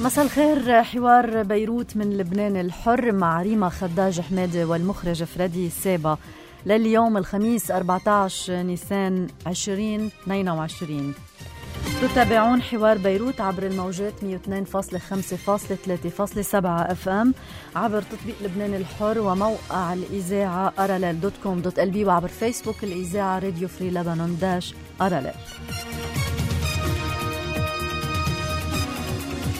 مساء الخير. حوار بيروت من لبنان الحر مع ريما خداج حمادي والمخرج فريدي سابا لليوم الخميس 14 نيسان 2022. تتابعون حوار بيروت عبر الموجات 102.5.3.7 FM عبر تطبيق لبنان الحر وموقع الإذاعة aralel.com.lb وعبر فيسبوك الإذاعة راديو فري لبنان -aralel.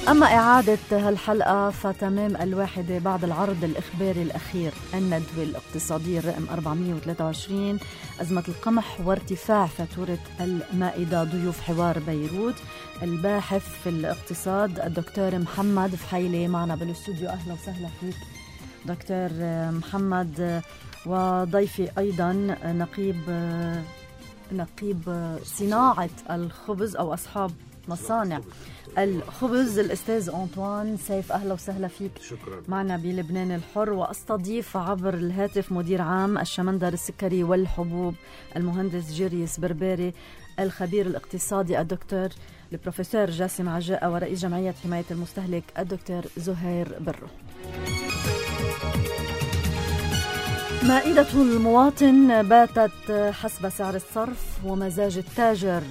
أما إعادة هالحلقة فتمام 1 بعد العرض الإخباري الأخير الندوة الاقتصادية الرقم 423 أزمة القمح وارتفاع فاتورة المائدة. ضيوف حوار بيروت الباحث في الاقتصاد الدكتور محمد فحيلي معنا بالاستوديو. أهلا وسهلا فيك دكتور محمد. وضيفي أيضا نقيب صناعة الخبز أو أصحاب مصانع الخبز الأستاذ أنطوان سيف. أهلا وسهلا فيك. شكرا. معنا بلبنان الحر. وأستضيف عبر الهاتف مدير عام الشمندر السكري والحبوب المهندس جيريس برباري، الخبير الاقتصادي الدكتور البروفيسور جاسم عجاء، ورئيس جمعية حماية المستهلك الدكتور زهير برو. مائدة المواطن باتت حسب سعر الصرف ومزاج التاجر.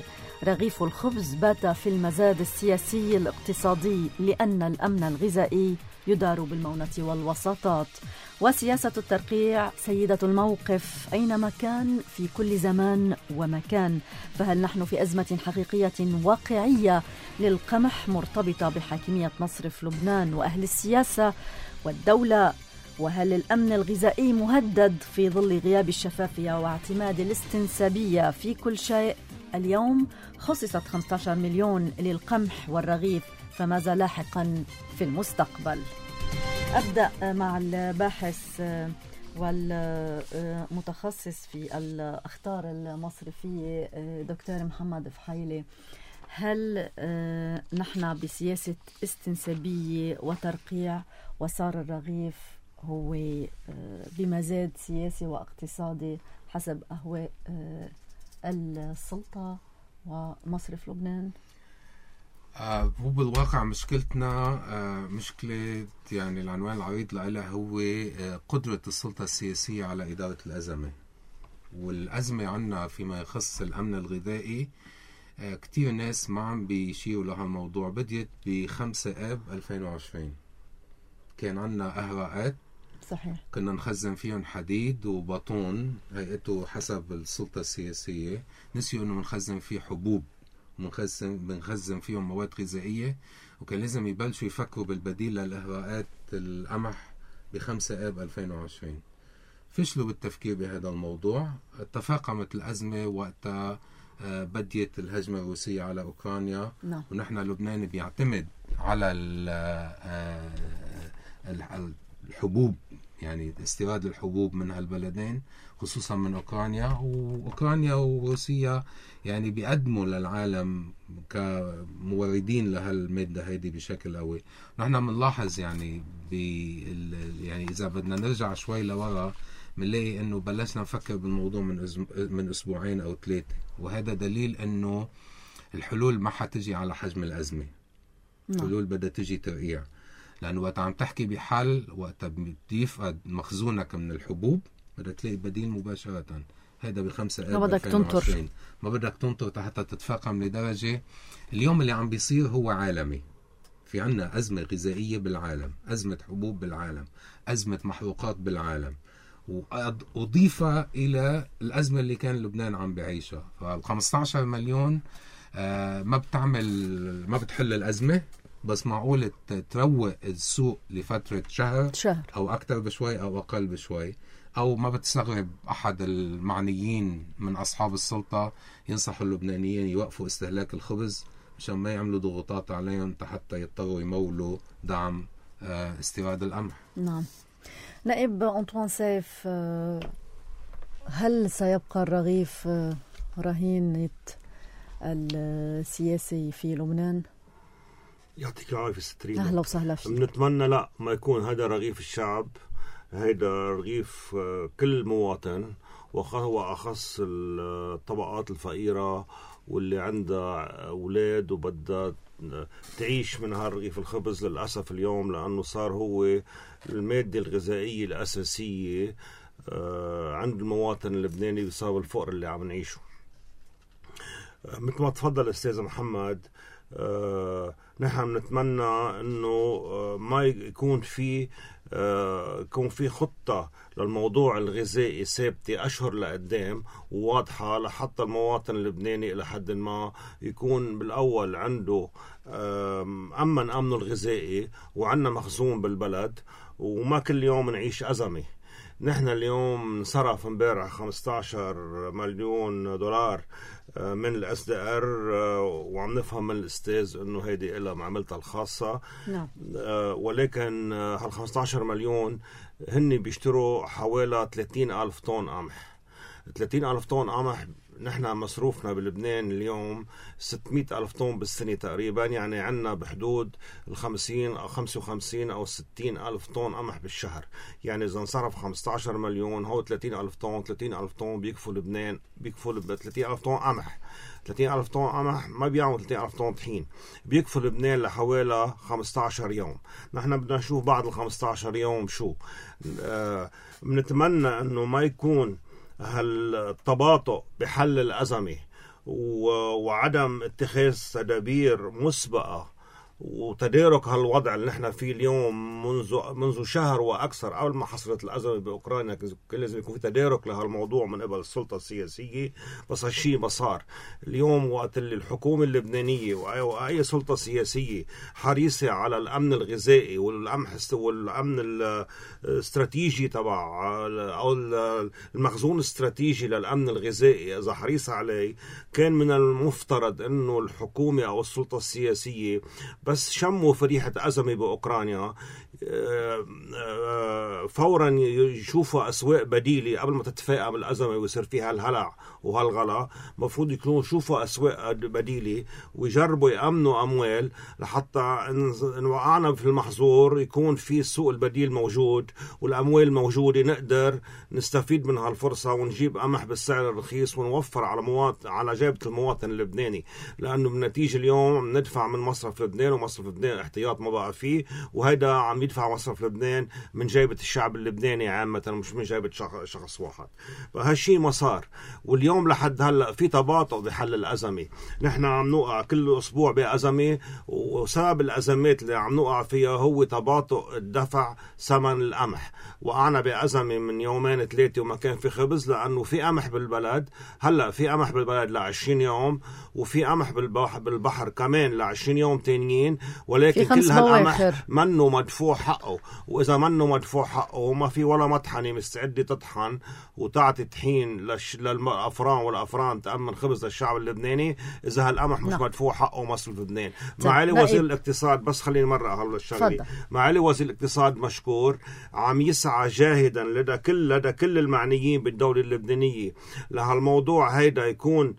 رغيف الخبز بات في المزاد السياسي الاقتصادي لأن الأمن الغذائي يدار بالمونة والوساطات. وسياسة الترقيع سيدة الموقف أينما كان في كل زمان ومكان. فهل نحن في أزمة حقيقية واقعية للقمح مرتبطة بحاكمية مصرف لبنان وأهل السياسة والدولة؟ وهل الأمن الغذائي مهدد في ظل غياب الشفافية واعتماد الاستنسابية في كل شيء؟ اليوم خصصت 15 مليون للقمح والرغيف، فماذا لاحقا في المستقبل؟ أبدأ مع الباحث والمتخصص في الأخطار المصرفية دكتور محمد فحيلي. هل نحن بسياسة استنسابية وترقيع وصار الرغيف هو بمزاد سياسي واقتصادي حسب أهواء السلطة ومصرف لبنان؟ هو بالواقع مشكلتنا مشكلة، يعني العنوان العريض لها هو قدرة السلطة السياسية على إدارة الأزمة. والأزمة عنا فيما يخص الأمن الغذائي كتير ناس ما عم بيشيروا لها الموضوع. بديت ب5 آب 2020 كان عنا أهراءات، صحيح، كنا نخزن فيهم حديد وبطون هيئته حسب السلطة السياسية. نسيوا انه بنخزن فيه حبوب، بنخزن فيهم مواد غذائية، وكان لازم يبلشوا يفكروا بالبديل للإهراءات القمح ب5 آب 2020. فشلوا بالتفكير بهذا الموضوع. تفاقمت الأزمة وقتها بديت الهجمة الروسية على أوكرانيا. ونحن لبنان بيعتمد على الحبوب، يعني استيراد الحبوب من هالبلدين خصوصا من أوكرانيا وروسيا، يعني بيقدموا للعالم كموردين لهالمادة هيدي بشكل قوي. نحن بنلاحظ يعني يعني إذا بدنا نرجع شوي لورا بنلاقي إنه بلشنا نفكر بالموضوع من أسبوعين أو 3، وهذا دليل إنه الحلول ما حتجي على حجم الأزمة. الحلول بدها تجي ترقيع، لأنه وقت عم تحكي بحل وقت بيفقد مخزونك من الحبوب بدك تلاقي بديل مباشرة. هذا ب5 آب 2020 ما بدك تنطر حتى تتفاقم لدرجة. اليوم اللي عم بيصير هو عالمي. في عنا أزمة غذائية بالعالم، أزمة حبوب بالعالم، أزمة محروقات بالعالم، وأضيفة إلى الأزمة اللي كان لبنان عم بعيشها. فال15 مليون ما بتحل الأزمة، بس معقول تروق السوق لفترة شهر أو أكتر بشوي أو أقل بشوي. أو ما بتستغرب أحد المعنيين من أصحاب السلطة ينصحوا اللبنانيين يوقفوا استهلاك الخبز مشان ما يعملوا ضغوطات عليهم حتى يضطروا يمولوا دعم استيراد القمح. نعم. نائب أنطوان سيف، هل سيبقى الرغيف رهينة السياسي في لبنان؟ يعطيك العافية سترين. أهلا وسهلا فيك. بنتمنى لا ما يكون هذا رغيف الشعب، هذا رغيف كل مواطن، وهو أخص الطبقات الفقيرة واللي عندها أولاد وبدها تعيش من هالرغيف الخبز. للأسف اليوم لأنه صار هو المادة الغذائية الأساسية عند المواطن اللبناني بسبب الفقر اللي عم نعيشه. مثل ما تفضل أستاذ محمد، نحن نتمنى أنه ما يكون في خطة للموضوع الغذائي ثابتة أشهر لقدام وواضحة لحتى المواطن اللبناني إلى حد ما يكون بالأول عنده أمنه الغذائي وعندنا مخزون بالبلد، وما كل يوم نعيش أزمة. نحن اليوم صرف امبارح 15 مليون دولار من الSDR، وعم نفهم من الأستاذ أنه هيدي إلا معاملتها الخاصة. ولكن هال 15 مليون هن بيشتروا حوالي 30,000 طن قمح. 30,000 طن قمح نحن مصروفنا بلبنان اليوم 600,000 طن بالسنة تقريبا، يعني عنا بحدود 50 أو 55 أو 60,000 طن قمح بالشهر. يعني إذا انصرف 15 مليون هو 30,000 طن، 30,000 طن بيكفوا لبنان، بيكفوا 30,000 طن قمح. 30,000 طن قمح ما بيعملوا 30,000 طن طحين، بيكفوا لبنان لحوالي 15 يوم. نحن بدنا نشوف بعد ال 15 يوم شو. بنتمنى أنه ما يكون هالتباطؤ بحل الأزمة وعدم اتخاذ تدابير مسبقة وتدارك هالوضع اللي نحن فيه اليوم منذ شهر وأكثر قبل ما حصلت الأزمة بأوكرانيا. كان لازم يكون في تدارك لهالموضوع من قبل السلطة السياسية، بس هالشي ما صار. اليوم وقت اللي الحكومة اللبنانية وأي سلطة سياسية حريصة على الأمن الغذائي والأمن الاستراتيجي تبع أو المخزون الاستراتيجي للأمن الغذائي، إذا حريصة عليه كان من المفترض أنه الحكومة أو السلطة السياسية بس شموا فريحة أزمة بأوكرانيا فورا يشوفوا أسواق بديلة قبل ما تتفاقم الأزمة ويصير فيها الهلع وهالغلا. مفروض يكونوا يشوفوا أسواق بديلة ويجربوا يأمنوا أموال لحتى إن وقعنا في المحظور يكون في السوق البديل موجود والأموال موجودة، نقدر نستفيد من هالفرصة ونجيب قمح بالسعر الرخيص ونوفر على جيبة المواطن اللبناني. لأنه بالنتيجة اليوم ندفع من مصرف لبنان، ومصرف لبنان احتياط ما بقى فيه، وهيدا عم يدفع مصرف لبنان من جيبة الشعب اللبناني عامة مش من جيبة شخص واحد. فهالشي ما صار، واليوم لحد هلأ في تباطؤ بحل الأزمة. نحن عم نوقع كل أسبوع بأزمة، وسبب الأزمات اللي عم نوقع فيها هو تباطؤ الدفع ثمن القمح. وقعنا بأزمة من 2-3 وما كان في خبز، لأنه في قمح بالبلد. هلأ في قمح بالبلد ل20 يوم، وفي قمح بالبحر كمان ل20 يوم تانيين، ولكن كل هالقمح منه مدفوع حقه. وإذا منه مدفوع حقه وما في ولا مطحنة مستعدة تطحن وتعطي طحين للأفران والأفران تأمن خبز للشعب اللبناني، إذا هالقمح مش مدفوع حقه مصرف لبنان. معالي وزير الاقتصاد، بس خليني مرة هالشغلة، معالي وزير الاقتصاد مشكور عم يسعى جاهدا لدى كل المعنيين بالدولة اللبنانية لهالموضوع هيدا يكون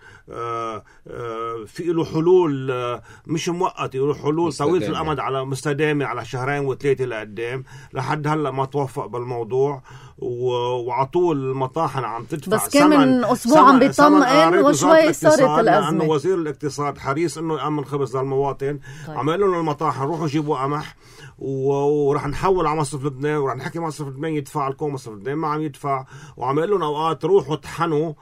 في له حلول مش مؤقتة، له حلول طويلة الأمد على مستدامة على 2-3 لقدام. لحد هلأ ما توفق بالموضوع، وعطول المطاحن عم تدفع بس كان من أسبوع عم بيطمئن وشوي صارت الأزمة، لأنه وزير الاقتصاد حريص أنه يأمن خبز للمواطن. عم يقول لهم المطاحن روحوا جيبوا قمح ورح نحول على مصرف لبنان، ورح نحكي مصرف لبنان يدفع لكم. مصرف لبنان ما عم يدفع، وعم يقول لهم أوقات روحوا طحنوا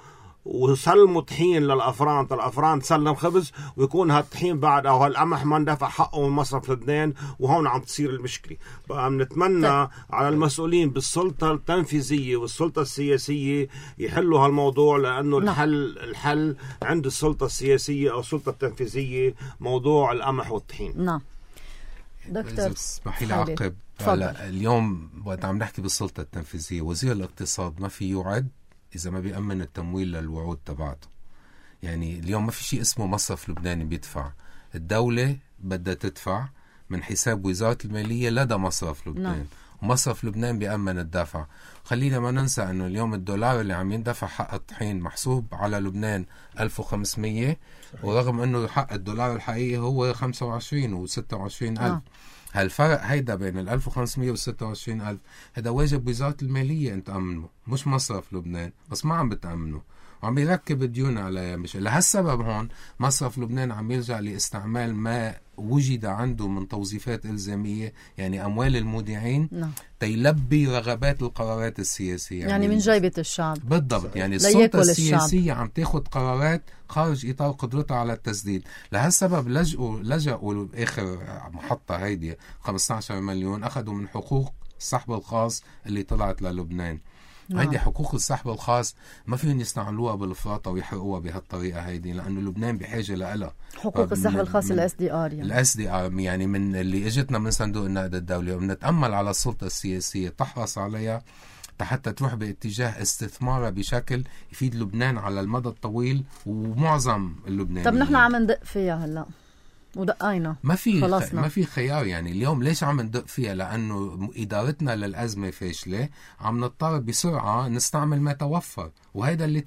وسلموا طحين للأفران، الأفران تسلم خبز ويكون هالطحين بعد أو هالقمح ما ندفع حقه من مصرف لبنان، وهون عم تصير المشكلة. بقى بنتمنى على المسؤولين بالسلطة التنفيذية والسلطة السياسية يحلوا هالموضوع، لأنه الحل عند السلطة السياسية أو السلطة التنفيذية موضوع القمح والطحين. نعم دكتور اسمحي لي أعقب. اليوم وقت عم نحكي بالسلطة التنفيذية، وزير الاقتصاد ما في يوعد إذا ما بيأمن التمويل للوعود تبعته. يعني اليوم ما في شيء اسمه مصرف لبناني بيدفع، الدولة بدها تدفع من حساب وزارة المالية لدى مصرف لبنان. ومصرف لبنان بيأمن الدفع. خلينا ما ننسى أنه اليوم الدولار اللي عم يندفع حق الطحين محسوب على لبنان 1500، ورغم أنه حق الدولار الحقيقي هو 25 و26 ألف. هالفرق هيدا بين 1500 و26,000 هذا واجب وزارة المالية أن تأمنه، مش مصرف لبنان، بس ما عم بتأمنه. وعم يركب ديون عليها. مش لهالسبب هون مصرف لبنان عم يرجع لاستعمال ما وجد عنده من توظيفات إلزامية، يعني أموال المودعين، تيلبي رغبات القرارات السياسية، يعني من جيبة الشعب. بالضبط. يعني السلطة السياسية عم تاخد قرارات خارج إطار قدرتها على التسديد. لهالسبب لجأوا آخر محطة هيدي 15 مليون أخذوا من حقوق السحب الخاص اللي طلعت للبنان. هيدي حقوق السحب الخاص ما فيهم يستعملوها بالفراطة ويحرقوها بهالطريقة هيدي، لأنه لبنان بحاجة لها. حقوق السحب الخاص SDR، يعني SDR يعني من اللي اجتنا من صندوق النقد الدولي، وبنتأمل على السلطة السياسية تحرص عليها حتى تروح باتجاه استثمارها بشكل يفيد لبنان على المدى الطويل ومعظم اللبنانيين. طب نحن عم ندق فيها هلا ودقينا، ما في خيار. يعني اليوم ليش عم ندق فيها؟ لأنه إدارتنا للأزمة فاشلة، عم نضطر بسرعة نستعمل ما توفر، وهيدا اللي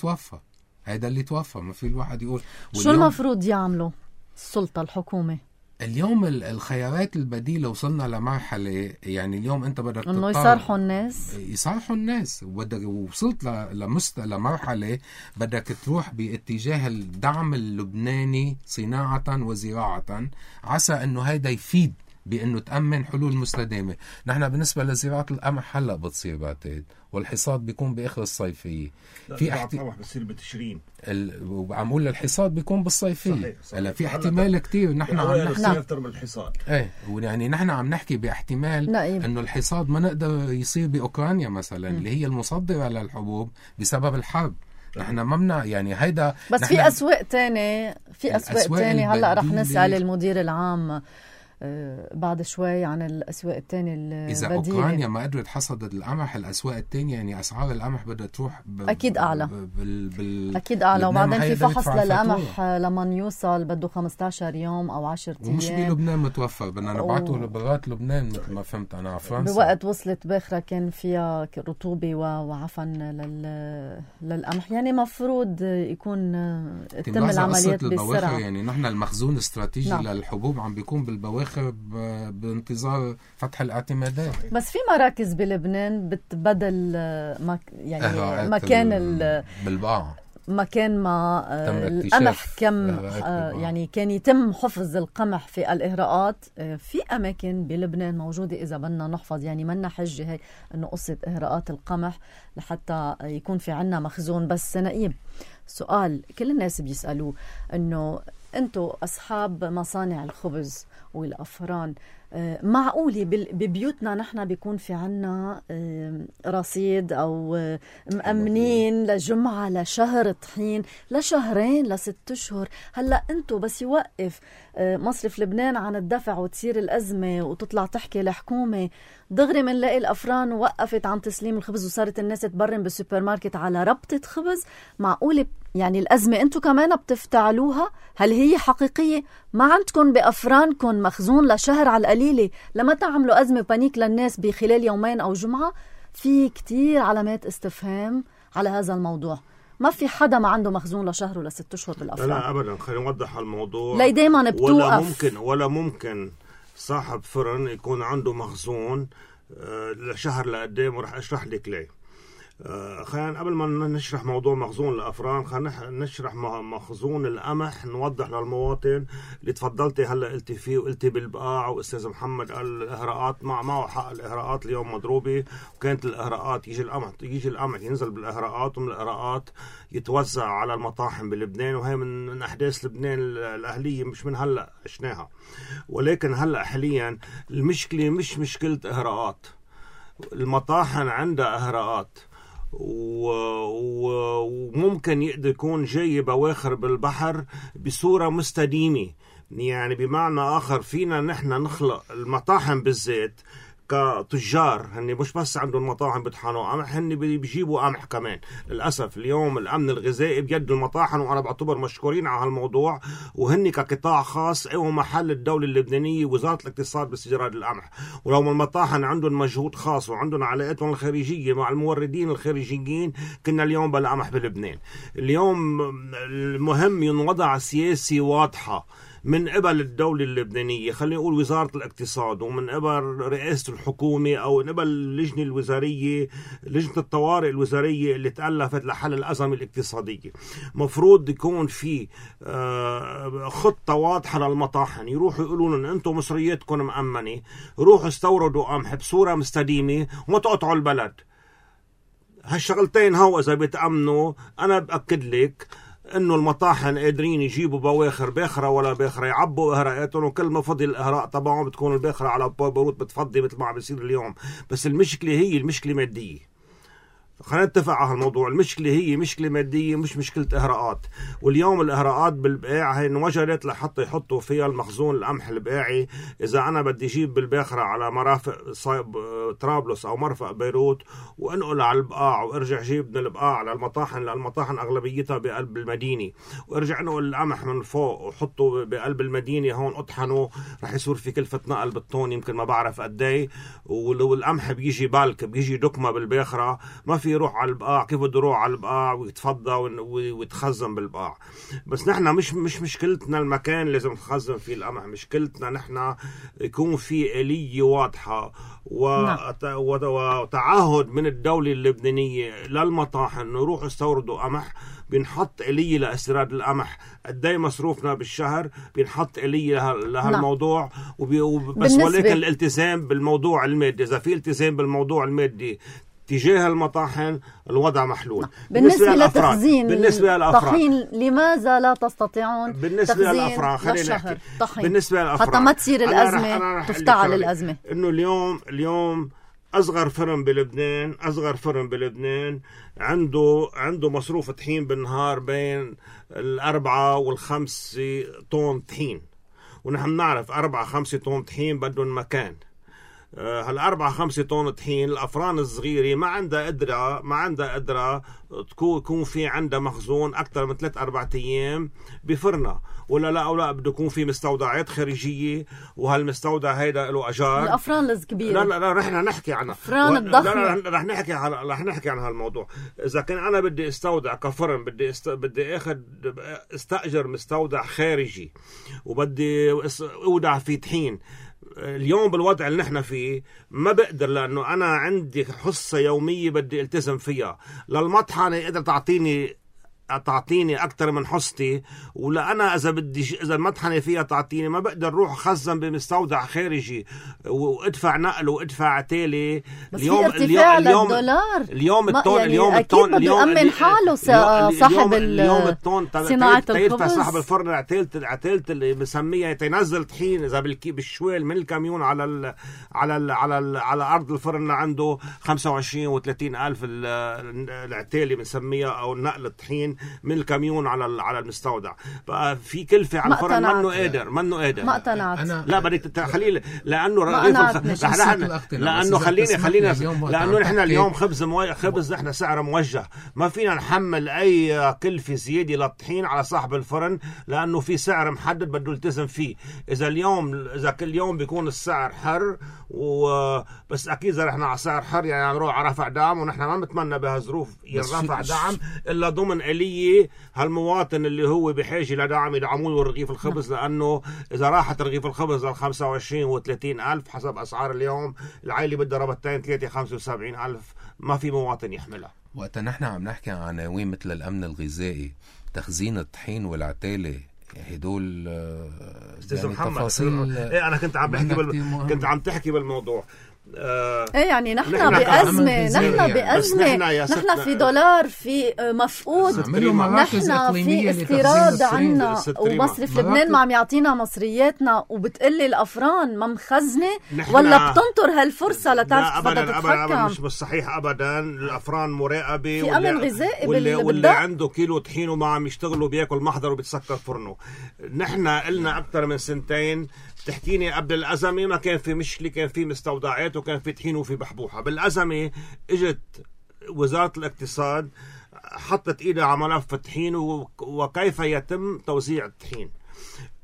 توفر. ما في الواحد يقول شو المفروض يعملوا السلطة الحكومة اليوم. الخيارات البديلة وصلنا لمرحلة، يعني اليوم انت بدك انه يصارحوا الناس وبدك وصلت لمرحلة بدك تروح باتجاه الدعم اللبناني صناعة وزراعة، عسى انه هيدا يفيد بانه تأمن حلول مستدامة. نحن بالنسبة لزراعة القمح هلا بتصير بعتقد، والحصاد بيكون باخر الصيفية. في بصير بتشرين، وعم اقول الحصاد بيكون بالصيفية. هلا في احتمال كتير نحن عم نحكي اكثر من الحصاد. يعني نحن عم نحكي باحتمال انه الحصاد ما نقدر يصير باوكرانيا مثلا اللي هي المصدرة للحبوب بسبب الحرب. نحن ممنع يعني هيدا. بس في اسواق تاني هلا رح نسأل المدير العام بعد شوي عن الأسواق التانية البديلة. إذا أوكرانيا ما قدرت حصدت القمح، الأسواق التانية يعني أسعار القمح بدها تروح أكيد أعلى. أكيد أعلى. وبعدين في فحص للقمح لما يوصل بده 15 يوم أو 10 أيام، ومش بلبنان متوفر، بدنا نبعته لبرات لبنان مثل ما فهمت أنا على فرنسا. بوقت وصلت باخرة كان فيها رطوبة وعفن للقمح، يعني مفروض يكون تتم العمليات بسرعة. يعني نحن المخزون الاستراتيجي للحبوب عم بيكون بالبواخر بانتظار فتح الاعتمادات. بس في مراكز بلبنان بتبدل يعني مكان بالبقاع مكان ما القمح يعني كان يتم حفظ القمح في الإهراءات. في أماكن بلبنان موجودة إذا بدنا نحفظ، يعني منا حجة هي أنه قصة إهراءات القمح لحتى يكون في عنا مخزون. بس نقيب سؤال كل الناس بيسألوه، أنه أنتوا أصحاب مصانع الخبز والأفران، معقولة ببيوتنا نحن بيكون في عنا رصيد أو مأمنين لجمعة لشهر طحين لشهرين ل6 أشهر؟ هلأ أنتو بس يوقف مصرف لبنان عن الدفع وتصير الأزمة وتطلع تحكي الحكومة دغري منلاقي الأفران وقفت عن تسليم الخبز وصارت الناس تبرم بالسوبر ماركت على ربطة خبز. معقولة يعني الأزمة أنتو كمان بتفتعلوها؟ هل هي حقيقية؟ ما عندكم بأفرانكم مخزون لشهر على القليلة لما تعملوا أزمة بانيك للناس بخلال يومين أو جمعة؟ في كتير علامات استفهام على هذا الموضوع. ما في حدا ما عنده مخزون لشهر ولا 6 أشهر بالأفران. لا أبدا. خلينا نوضح الموضوع. لا دايما بتوقف. ولا ممكن صاحب فرن يكون عنده مخزون لشهر لقدام، ورح أشرح لك ليه. خلينا قبل ما نشرح موضوع مخزون الأفران خلينا نشرح مخزون القمح، نوضح للمواطن اللي تفضلتي هلا قلتي فيه وقلتي بالبقاع، واستاذ محمد قال الاهراءات معه حق. الاهراءات اليوم مضروبه، وكانت الاهراءات يجي القمح ينزل بالاهراءات، ومن الاهراءات يتوزع على المطاحن بلبنان، وهي من احداث لبنان الاهليه، مش من هلا عشناها. ولكن هلا حاليا المشكله مش مشكله اهراءات، المطاحن عندها اهراءات، وممكن يقدر يكون جاي بواخر بالبحر بصورة مستديمة. يعني بمعنى آخر فينا نحن نخلق المطاحن بالذات كتجار، هني مش بس عندهم مطاحن بيطحنوا قمح، هني بيجيبوا قمح كمان. للأسف اليوم الأمن الغذائي بيد المطاحن، وأنا بعتبر مشكورين على هالموضوع، وهني كقطاع خاص أو محل الدولة اللبنانية وزارة الاقتصاد باستيراد القمح. ولو المطاحن عندهم مجهود خاص وعندهم علاقاتهم الخارجية مع الموردين الخارجيين، كنا اليوم بلا قمح بلبنان. اليوم المهم ينوضع سياسي واضحة من قبل الدولة اللبنانية، خلينا نقول وزارة الاقتصاد، ومن قبل رئاسة الحكومة، أو من قبل اللجنة الوزارية، لجنة الطوارئ الوزارية اللي تألفت لحل الأزمة الاقتصادية، مفروض يكون في خطة واضحة للمطاحن، يروحوا يقولوا لهم أنتم مصرياتكم مأمنة، روحوا استوردوا قمح بصورة مستديمة وما تقطعوا البلد. هالشغلتين هو إذا بيتأمنوا أنا بأكد لك إنه المطاحن قادرين يجيبوا بواخر باخرة ولا باخرة، يعبوا إهراءاتهم، وكل ما فضي الإهراء طبعا بتكون الباخرة على بيروت بتفضي مثل ما عم بيصير اليوم. بس المشكلة هي المشكلة مادية، خلينا نتفق على هالموضوع. المشكلة هي مشكلة مادية مش مشكلة إهراءات. واليوم الإهراءات بالبقاع هي انوجدت لحتى يحطوا فيها المخزون القمح البقاعي. إذا أنا بدي أجيب بالباخرة على مرافق طرابلس أو مرفق بيروت وأنقل على البقاع وأرجع جيب من البقاع على المطاحن، لأن المطاحن أغلبيتها بقلب المدينة، وأرجع أنقل القمح من فوق وحطه بقلب المدينة هون أطحنه، رح يصير في كلفة نقل بالطون يمكن ما بعرف قدي. والقمح بيجي بالك، بيجي دكمة بالباخرة، ما في يروح على البقاع. كيف بده يروح على البقاع ويتفضى ويتخزن بالبقاع؟ بس نحن مش مشكلتنا المكان لازم نخزن فيه القمح، مشكلتنا نحن يكون في آلية واضحة وتعهد من الدولة اللبنانية للمطاحن انه يروحوا يستوردوا قمح. بنحط آلية لاستيراد القمح، قدي مصروفنا بالشهر بنحط آلية لهالموضوع. بس ولكن الالتزام بالموضوع المادي، إذا في التزام بالموضوع المادي تجاه المطاحن الوضع محلول. بالنسبة لتخزين الطحين لماذا لا تستطيعون بالنسبة للأفران؟ خلينا نحكي بالنسبة للأفران حتى ما تصير الأزمة تفتعل الأزمة. إنه اليوم أصغر فرن بلبنان عنده مصروف طحين بالنهار بين 4 و5 طن طحين، ونحن نعرف 4-5 طن طحين بدهم مكان. هال4-5 طن طحين الأفران الصغيرة ما عندها قدرة تكون في عندها مخزون أكثر من 3-4 أيام بفرنة، ولا لا بده يكون في مستودعات خارجية، وهالمستودع هيدا له أجار. الأفران الكبيرة لا رح نحكي عنها، الأفران الضخمة رح نحكي عن هالموضوع. إذا كان أنا بدي استودع كفرن، بدي استأجر مستودع خارجي وبدي أودع فيه طحين. اليوم بالوضع اللي نحن فيه ما بقدر، لأنه أنا عندي حصة يومية بدي التزم فيها. للمطحنة قدر تعطيني أكتر من حصتي، ولا أنا إذا المطحنة فيها تعطيني، ما بقدر روح خزن بمستودع خارجي وادفع نقل وادفع عتالي. اليوم للدولار اليوم الطون يأمن حاله صاحب صناعة الخبز، صاحب الفرن عتالة اللي بسميها تنزل طحين إذا بالشوال من الكاميون على أرض الفرن عنده 25 و30 ألف العتالة بنسميها أو نقل الطحين من الكاميون على المستودع. بقى في كلفة على الفرن، منه قادر ما اقتنعت. لا بدك خليل، لأنه نحن اليوم خبز نحن سعر موجه، ما فينا نحمل أي كلفة زيادة للطحين على صاحب الفرن، لأنه في سعر محدد بده يلتزم فيه. إذا كل يوم بيكون السعر حر بس أكيد إذا رحنا على سعر حر يعني نروح على رفع دعم، ونحن ما نتمنى بهالظروف يرفع دعم إلا ضمن آلية هالمواطن اللي هو بحاجة لدعم يدعمون رغيف الخبز. لأنه إذا راحت رغيف الخبز 25 و30 ألف حسب أسعار اليوم، العائلة بدها ربطتين 3-75 ألف، ما في مواطن يحملها. وقتا نحن عم نحكي عن عناوين مثل الأمن الغذائي، تخزين الطحين والعتالة، هدول استاذ محمد انا كنت عم تحكي بالموضوع. يعني نحن بأزمة، نحن في دولار، في مفقود، نحن في استيراد عنا، ومصرف لبنان ما عم يعطينا مصرياتنا، وبتقلي الأفران ما مخزنة ولا بتنطر هالفرصة لتعرف أبدا مش صحيح أبدا. الأفران مراقبة، في أمن غذائي واللي عنده كيلو طحين وما عم يشتغلوا بياكل محضر وبيتسكر فرنه. نحن قلنا أكثر من 2 سنين بتحكيني قبل الأزمة ما كان في مشكلة، كان في مستودعات وكان في طحين وفي بحبوحة. بالأزمة اجت وزارة الاقتصاد حطت إيدها على ملف الطحين وكيف يتم توزيع الطحين.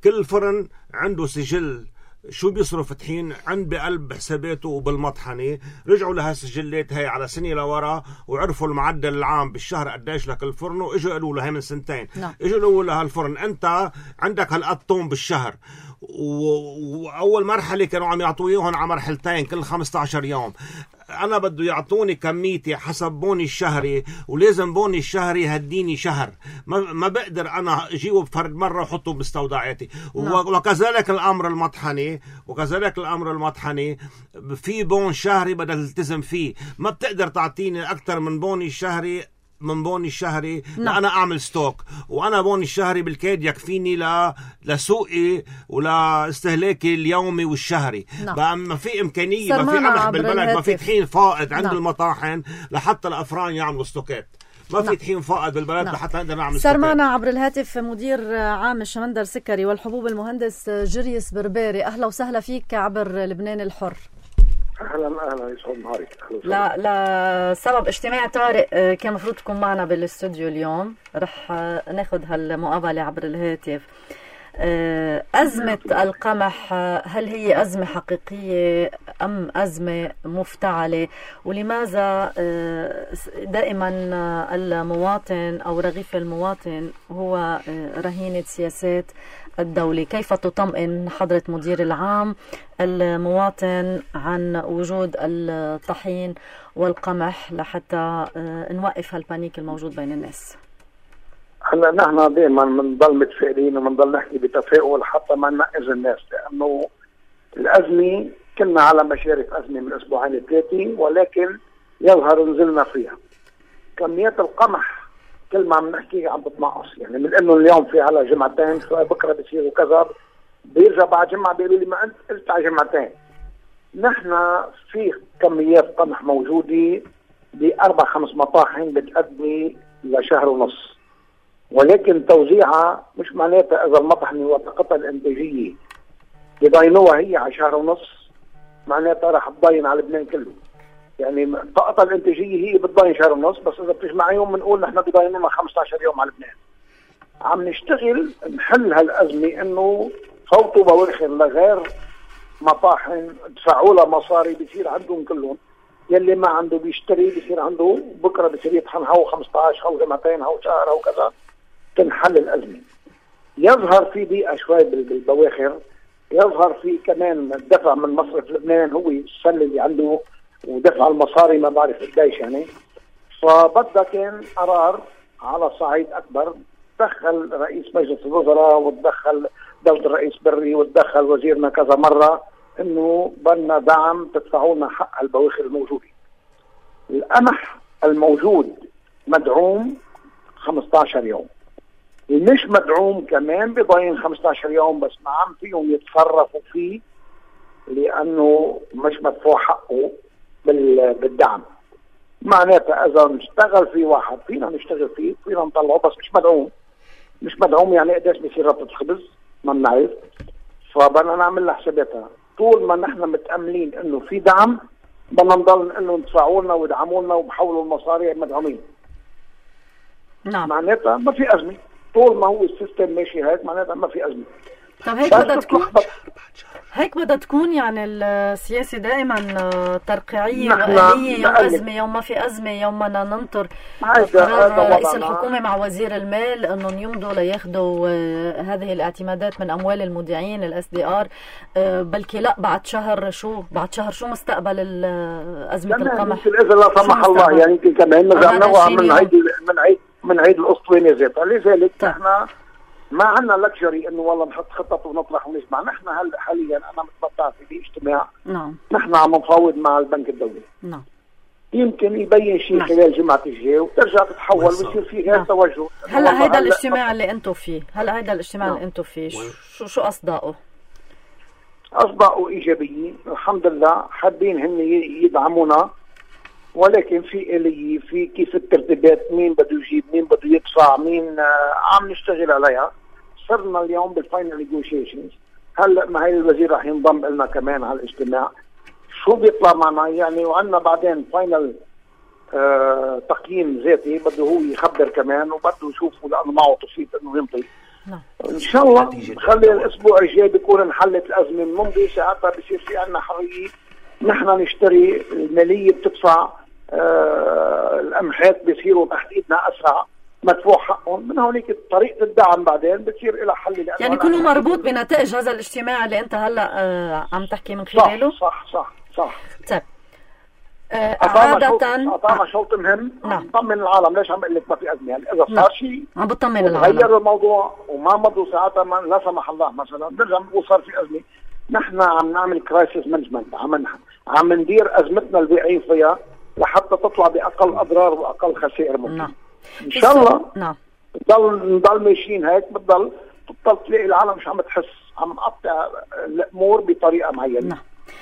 كل فرن عنده سجل شو بيصرف فتحين عند بقلب حساباته وبالمطحنة. رجعوا لهالسجلات هاي على سنة لورا وعرفوا المعدل العام بالشهر قديش لك الفرن، واجوا قالوا له هاي من سنتين اجوا قالوا له هالفرن انت عندك هالقد طن بالشهر، واول مرحلة كانوا عم يعطويهم على مرحلتين كل 15 يوم. انا بده يعطوني كميتي حسب بوني الشهري، ولازم بوني الشهري يهديني شهر، ما بقدر انا اجيبه بفرد مره وحطه باستودعاتي. وكذلك الامر المطحني في بون شهري بدل تلتزم فيه، ما بتقدر تعطيني اكثر من بوني الشهري لأنا أعمل ستوك، وأنا بوني الشهري بالكاد يكفيني لسوقي ولاستهلاكي اليومي والشهري. بقى ما في إمكانية، ما في قمح بالبلد، ما في طحين فائض عند المطاحن لحتى الأفران يعملوا ستوكات، ما في طحين فائض بالبلد لحتى نقدر نعمل ستوكات. صار معنا عبر الهاتف مدير عام الشمندر سكري والحبوب المهندس جريس بربيري. أهلا وسهلا فيك عبر لبنان الحر. اهلا يسعد نهارك. لا سبب اجتماع طارئ كان مفروض تكون معنا بالاستوديو اليوم، رح ناخذ هالمقابله عبر الهاتف. أزمة القمح هل هي أزمة حقيقية أم أزمة مفتعلة؟ ولماذا دائما المواطن أو رغيف المواطن هو رهينة سياسات الدولة؟ كيف تطمئن حضرة مدير العام المواطن عن وجود الطحين والقمح لحتى نوقف هالبانيك الموجود بين الناس؟ هلا نحن دائما بنضل متفائلين وبنضل نحكي بتفاؤل حتى ما ننقذ الناس، لانه الازمه كنا على مشارف ازمه من اسبوعين ثلاثه، ولكن يظهر نزلنا فيها. كميات القمح كل ما عم نحكي عم بتنقص، يعني من انه اليوم في على جمعتين بكره بصيروا كذا، بيرجع بعد جمعه بيقولوا لي ما انت قلت على جمعتين. نحن في كميات قمح موجوده ب4-5 مطاحن بتأدي لشهر ونص، ولكن توزيعها مش معناتها اذا المطحنه وطاقتها الانتاجيه بضاينوها هي على شهر ونص معناتها رح تضاين على لبنان كله. يعني طاقتها الانتاجيه هي بتضاين شهر ونص، بس اذا بتجمعيهم بنقول نحن بضاينونا 15 يوم على لبنان. عم نشتغل نحل هالازمه انه فوتوا بواخر لغير مطاحن دفعوا لها مصاري بصير عندهم كلهم، يلي ما عنده بيشتري بصير عنده بكره بصير يطحن هو 15 هو جمعتين هو شهر هو كذا، تنحل الازمه. يظهر في ضيقه شوي بالبواخر، يظهر في كمان دفع من مصرف لبنان هو السله اللي عنده ودفع المصاري ما بعرف قديش يعني. فبدها كان قرار على صعيد اكبر، تدخل رئيس مجلس الوزراء وتدخل دولة الرئيس بري وتدخل وزيرنا كذا مرة انه بدنا دعم تدفعوا لنا حق البواخر الموجودة. القمح الموجود مدعوم 15 يوم، مش مدعوم كمان بضاين 15 يوم، بس ما عم فيهم يتصرفوا فيه لانه مش مدفوع حقه بالدعم. معناتها اذا نشتغل في واحد فينا نشتغل فيه فينا نطلعه، بس مش مدعوم يعني قديش بيصير ربطة الخبز ما بنعرف. فبدنا نعمل لها حساباتها. طول ما نحن متأملين انه في دعم بدنا نضل نقول لهم ادفعوا لنا وادعموا لنا وبحولوا المصاري مدعومين. نعم. معناتها ما في ازمه، طول ما هو السيستم ماشي هيك معناتها ما في ازمه. طب هيك بدها تكون يعني السياسة دائما ترقيعية وآلية، يوم أزمة يوم ما في أزمة، يوم بدنا ننطر قرار رئيس الحكومة مع وزير المال أنهم يمضوا لياخذوا هذه الاعتمادات من أموال المودعين SDR، بلكي لا بعد شهر شو مستقبل أزمة القمح؟ إذا لا سمح الله يعني كمان نوع من عيد الأسطوانة ذاتها. لذلك نحن ما عندنا لكجري انه والله نحط خطط ونطرح ونسمع. نحن حاليا انا متمتع في اجتماع. نعم. نحن عم نفاوض مع البنك الدولي. نعم. يمكن يبين شيء خلال جمعة الجاي وترجع تتحول ويصير في غير توجه. هلا هيدا الاجتماع اللي انتم فيه، شو اصداؤه؟ اصداؤه ايجابية الحمد لله، حابين هن يدعمونا، ولكن في آلية في كيف الترتيبات، مين بده يجيب مين بده يدفع مين، عم نشتغل عليها. صرنا اليوم بالفاينل نيغوشيشنز. هلا ما هي الوزير رح ينضم لنا كمان على الاجتماع، شو بيطلع معنا يعني. وعندنا بعدين فاينل تقييم ذاتي بده هو يخبر كمان وبده يشوفه لانه معه تصويت انه يمضي. ان شاء الله خلي الاسبوع الجاي بيكون انحلت الازمه الممضي، ساعتها بصير في عندنا حريه نحن نشتري، الماليه بتدفع، القمحات بيصيروا تحت ايدنا اسرع، مدفوع حقهم، من هونيك طريقه الدعم بعدين بتصير الى حل. يعني كله مربوط بنتائج هذا الاجتماع اللي انت هلا عم تحكي من خلاله. صح. طيب قطعنا شوط مهم. نطمن العالم. ليش عم بقول لك ما في ازمه؟ يعني اذا صار شيء عم بطمن العالم، غير الموضوع وما مضوا ساعتها لا سمح الله مثلا بنرجع بنقول صار في ازمه. نحن عم نعمل كرايسيس مانجمنت، عم ندير ازمتنا اللي واقعين فيها لحتى تطلع باقل اضرار واقل خسائر ممكن. ان شاء الله نضل ماشيين هيك. بتضل تلاقي العالم مش عم تحس، عم نقطع الامور بطريقه معينه.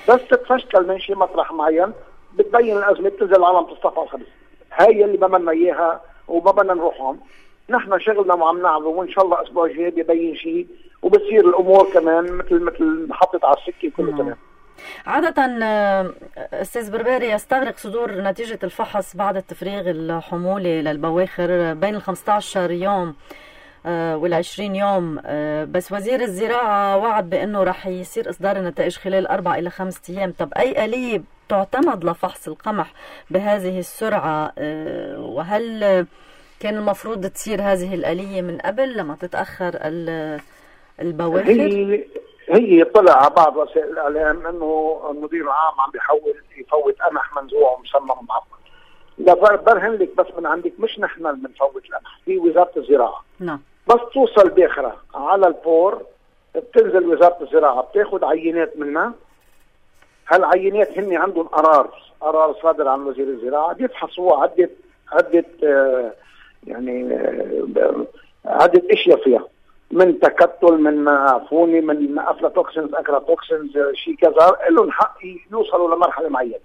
بس تتفشكل من شيء مطرح معين بتبين الازمه، بتنزل العالم تصطفى الخبز. هاي اللي ما بدنا اياها وما بدنا نروحهم. نحن شغلنا وعم نعمله، وان شاء الله الاسبوع الجاي ببين شيء وبتصير الامور كمان مثل محطه على السكه كله تمام. عادة أستاذ برباري يستغرق صدور نتيجة الفحص بعد التفريغ الحمولي للبواخر بين 15 يوم وال20 يوم، بس وزير الزراعة وعد بأنه رح يصير إصدار النتائج خلال 4 إلى 5 أيام. طب أي آلية تعتمد لفحص القمح بهذه السرعة؟ وهل كان المفروض تصير هذه الآلية من قبل لما تتأخر البواخر؟ هي طلع على بعض وسائل الاعلام انه المدير العام عم بيحاول يفوت قمح منزوع ومسمم ومعقد. لا برهن لك بس من عندك، مش نحن اللي بنفوت القمح، في وزاره الزراعه. بس توصل باخره على البور بتنزل وزاره الزراعه بتاخذ عينات منها. هالعينات هن عندهم قرار صادر عن وزير الزراعه بيفحصوا عده عده اشياء فيها، من تكتل، من عفوني، من افلاتوكسينز، اكراتوكسينز، شيء كذا، لهم حق يوصلوا لمرحله معينه.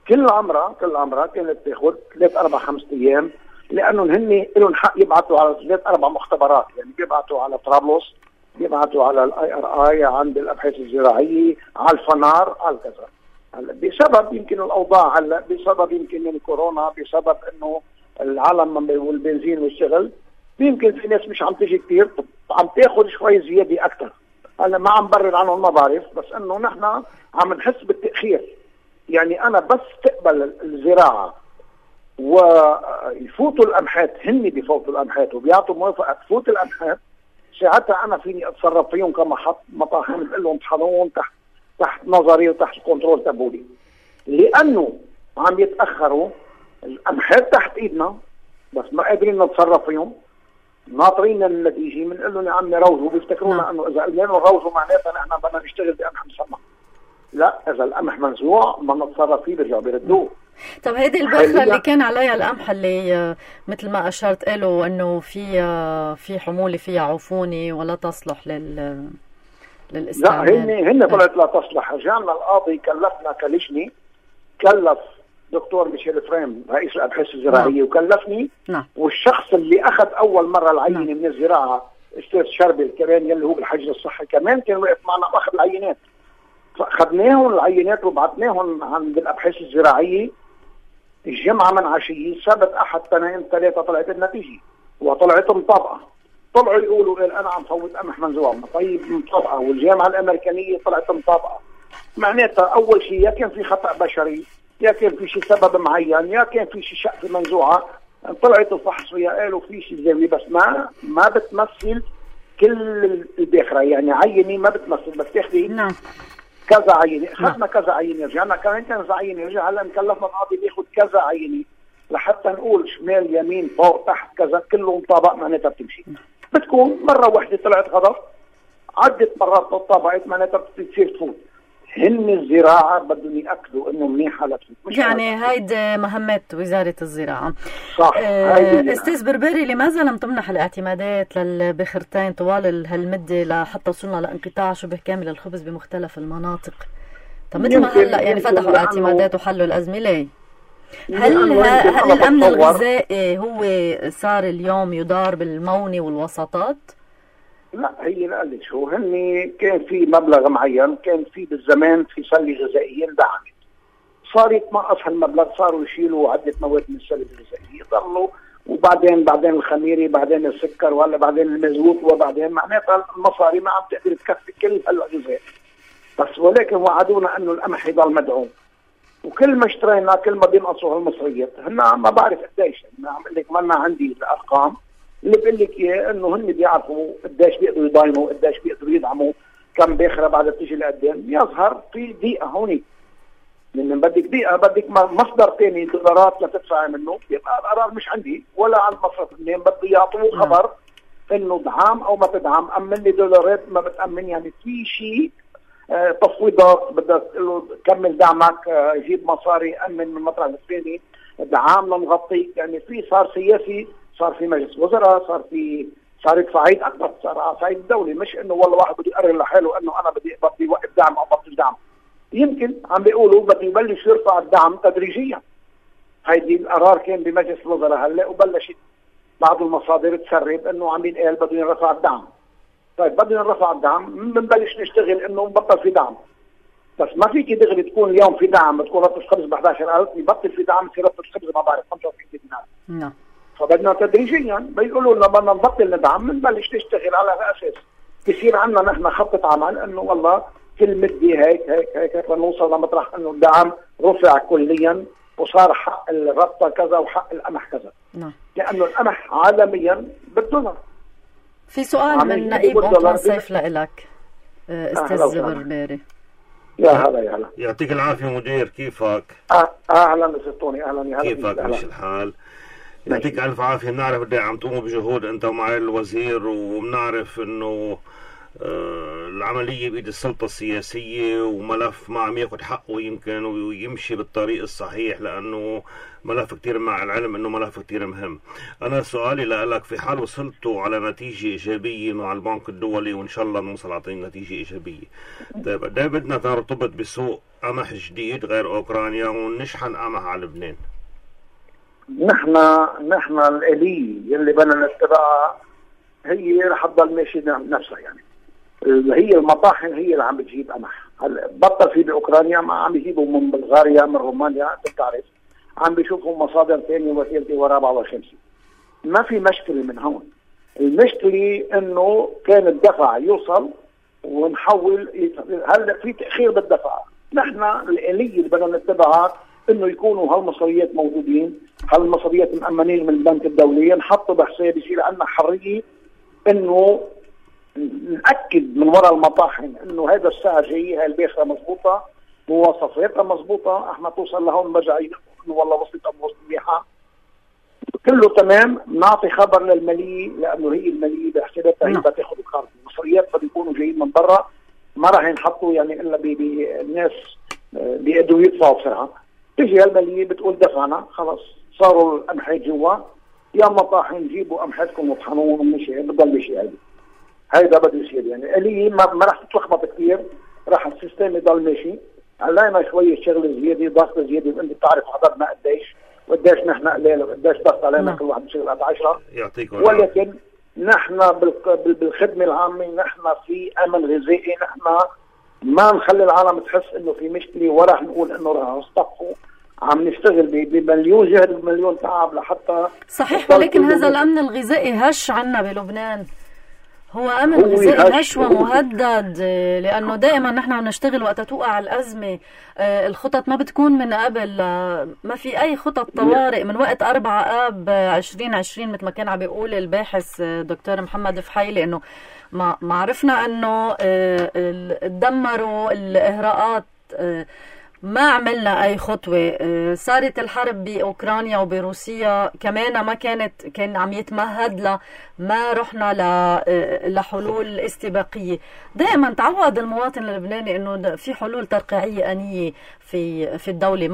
كل عمرها كانت تاخذ 3 4 5 ايام، لانهم هن لهم حق يبعثوا على 3 4 مختبرات. يعني بيبعثوا على طرابلس، بيبعثوا على الIRI، عند الابحاث الزراعيه، على الفنار، على كذا. هلا بسبب يمكن الاوضاع، هلا بسبب يمكن الكورونا، بسبب انه العالم والبنزين والشغل، يمكن في ناس مش عم تيجي كثير، عم تاخذ شوي زياده اكثر. هلا ما عم برر عنهم، ما بعرف، بس انه نحن عم نحس بالتاخير. يعني انا بس تقبل الزراعه ويفوتوا القمحات، هن بيفوتوا القمحات وبيعطوا موافقه تفوت القمحات، ساعتها انا فيني اتصرف فيهم كمطاحن، بقول لهم طحنوهم تحت نظري وتحت كنترول تبعولي. لانه عم يتاخروا القمحات تحت ايدنا بس ما قادرين نتصرف فيهم، ناطرين النتيجه، بنقول لهم يا عمي روزوا، بيفتكرونا انه اذا قلنا لهم روزوا معناتها نحن بدنا نشتغل بقمح مسمى. لا، اذا القمح منزوع ما نتصرف فيه بيرجعوا بيردوه. طب هيدي البخره اللي كان عليها القمح اللي مثل ما اشرت قالوا انه في حموله فيها عفوني ولا تصلح للاستعمال. لا، هن طلعت لا تصلح. رجعنا القاضي كلفنا كلجنه، كلف دكتور ميشيل فريم رئيس الابحاث الزراعيه وكلفني. والشخص اللي اخذ اول مره العينه من الزراعه استاذ شربل كمان يلي هو بالحجر الصحي كمان كان واقف معنا واخذ العينات. فاخذناهم العينات وبعثناهم عند الابحاث الزراعيه الجمعه من عشيه، السبت احد اثنين ثلاثه طلعت النتيجه وطلعت مطابقه. طلعوا يقولوا انا عم فوت قمح منزوع، طيب مطابقه، والجامعه الامريكانيه طلعت مطابقه. معناتها اول شيء يا كان في خطا بشري، يا كان في شيء سبب معين، يا كان في شيء شق منزوعه. طلعت الفحص فيها قالوا في شيء زاويه، بس ما بتمثل كل الباخره. يعني عينه ما بتمثل، بس تاخذي كذا عينه. اخذنا كذا عينه، رجعنا كمان كذا عينه، رجع هلا مكلفنا القاضي بياخذ كذا عينه لحتى نقول شمال يمين فوق تحت كذا كله مطابق، معناتها بتمشي. بتكون مره واحده طلعت غلط، عدة مرات طبقت، معناتها بتصير تفوت. هن الزراعه بدهم ياكدوا انه منيحه لتفوت. يعني هيدي مهمه وزاره الزراعه. صح. استاذ برباري، لماذا لم تمنح الاعتمادات للبخرتين طوال هالمده لحتى وصلنا لانقطاع شبه كامل الخبز بمختلف المناطق؟ طب مثل ما هلا يعني فتحوا اعتمادات وحلوا الازمه، ليه؟ هل الامن الغذائي هو صار اليوم يدار بالمونه والوساطات؟ لا، هي نقلت شو، هن كان في مبلغ معين، كان في بالزمان في سله غذائيه اندعمت، صار يتنقص هالمبلغ، صاروا يشيلوا عده مواد من السله الغذائيه، ضلوا وبعدين الخميري، بعدين السكر، ولا بعدين المزوت، وبعدين معناتها المصاري ما عم تقدر تكفي كل هالأجزاء. بس ولكن وعدونا انه القمح يضل مدعوم، وكل ما اشترينا كل ما بينقصوا هالمصريات. هن ما بعرف قديش، انا عم اقول لك ما عندي الارقام، اللي بقول لك اياه انه هن بيعرفوا قديش بيقدروا يضاينوا، قديش بيقدروا يدعموا، كم باخره بعد تيجي لقدام. يظهر في ضيقه هونيك، لان بدك ضيقه، بدك مصدر ثاني دولارات لتدفع منه. يبقى القرار مش عندي ولا عند مصرف الدين، بده يعطوه خبر انه دعم او ما تدعم. امن لي دولارات ما بتامن، يعني في شيء تفويضات، بدك تقول له كمل دعمك، جيب مصاري، امن من المطرح الثاني، دعم لنغطيك. يعني في صار سياسي، صار في مجلس وزراء، صارت صعيد اكبر، صار على صعيد الدولي، مش انه والله واحد بده يقرر لحاله انه انا بدي وقف دعم او بطل دعم. يمكن عم بيقولوا بده يبلش يرفع الدعم تدريجيا. هيدي القرار كان بمجلس الوزراء هلا، وبلشت بعض المصادر تسرب انه عم ينقال بده ينرفع الدعم. طيب بدنا نرفع الدعم، بنبلش نشتغل انه نبطل في دعم. بس ما فيك دغري تكون اليوم في دعم، تكون ربط الخبز ب 11,000، يبطل في دعم، يصير ربط الخبز ما بعرف 25 دينار. نعم. فبدنا تدريجيا بيقولوا لنا بدنا نبطل ندعم، بنبلش نشتغل على هالاساس. بصير عندنا نحن خطه عمل انه والله كل مدة هيك لنوصل لمطرح انه الدعم رفع كليا وصار حق الربطه كذا وحق القمح كذا. نعم. لانه القمح عالميا بالدولار. في سؤال من نقيب أنطوان سيف لإلك استاذ بربري. يا هلا يا هلا. يعطيك العافيه مدير، كيفك؟ اهلا ستوني، اهلا يا هلا. كيفك؟ مش الحال؟ يعطيك الف عافيه. بنعرف قد ايه عم تقوموا بجهود انت ومع الوزير، وبنعرف انه العملية بإيد السلطة السياسية، وملف ما عم ياخد حقه يمكن ويمشي بالطريق الصحيح، لأنه ملف كتير، مع العلم أنه ملف كتير مهم. أنا سؤالي لك، في حال وصلتوا على نتيجة إيجابية مع البنك الدولي، وإن شاء الله نوصل على نتيجة إيجابية، طيب قد ايه بدنا نرتبط بسوق قمح جديد غير أوكرانيا ونشحن قمح على لبنان؟ نحن الآلية اللي بدنا نتبعها هي رح تضل ماشي نفسها. يعني هي المطاحن هي اللي عم بتجيب قمح. هلا بطل في باوكرانيا، ما عم بيجيبوا من بلغاريا، من رومانيا، انت بتعرف، عم بيشوفوا مصادر ثانيه وثالثه ورابعه وخامسه. ما في مشكله من هون. المشكله انه كان الدفع يوصل ونحول. هلا في تاخير بالدفع. نحن الاليه اللي بدنا نتبعها انه يكونوا هالمصريات موجودين، هالمصريات مأمنين من البنك الدولي، نحطوا بحساب، يصير عندنا حريه انه نأكد من وراء المطاحن انه هذا السعر جاي، هاي الباخره مضبوطه، مواصفاتها مضبوطه، احنا توصل لهون برجع انه والله وصلت ام وصلت منيحه، كله تمام. نعطي خبر للماليه، لانه هي الماليه بحساباتها هي بتاخذ القرض. المصريات بده يكونوا جايين من برا، ما راح ينحطوا يعني الا الناس بيقدروا يدفعوا بسرعه. تجي الماليه بتقول دفعنا خلص، صاروا القمحات جوا، يا مطاحن جيبوا قمحتكم وطحنوهم ومشي، بضل مشي. هيدا بده يصير. يعني آلية ما راح تتلخبط كثير، راح السيستم يضل ماشي. علينا شويه شغل زياده، ضغط زياده، وانت بتعرف عددنا قديش نحن قليل، وقديش ضغط علينا، كل واحد بشغل قد 10. ولكن نحن بالخدمه العامه، نحن في امن غذائي، نحن ما نخلي العالم تحس انه في مشكله، وراح نقول انه راح نصطفوا. عم نشتغل بمليون جهد ومليون تعب لحتى صحيح. ولكن هذا الامن الغذائي هش عنا بلبنان، هو امن غذائي هش ومهدد، لانه دائما نحن عم نشتغل وقت توقع الازمه. الخطط ما بتكون من قبل، ما في اي خطط طوارئ من وقت 4 آب 2020 مثل ما كان عم بيقول الباحث دكتور محمد فحيلي، انه ما عرفنا انه تدمروا الاهراءات، ما عملنا اي خطوه. صارت الحرب باوكرانيا وبروسيا كمان ما كان عم يتمهد ما رحنا لحلول استباقيه. دائما تعود المواطن اللبناني انه في حلول ترقيعيه انيه في الدوله.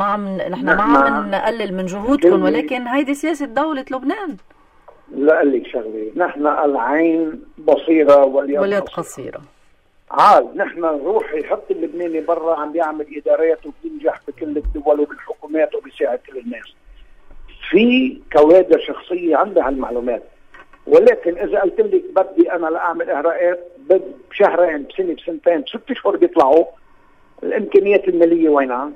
نحن ما عم نقلل من جهودكم، ولكن هيدي سياسه دوله لبنان. لا أقول لك شغله، نحن العين بصيره واليد قصيره. نحن نروح يحط اللبناني برا عم بيعمل ادارات وبينجح بكل الدول وبالحكومات وبيساعد كل الناس. في كوادر شخصيه عندها هالمعلومات، ولكن اذا قلت لك بدي انا لاعمل اهراءات بشهرين، بسنه، بسنتين، ب6 اشهر بيطلعوا، الامكانيات الماليه وينها؟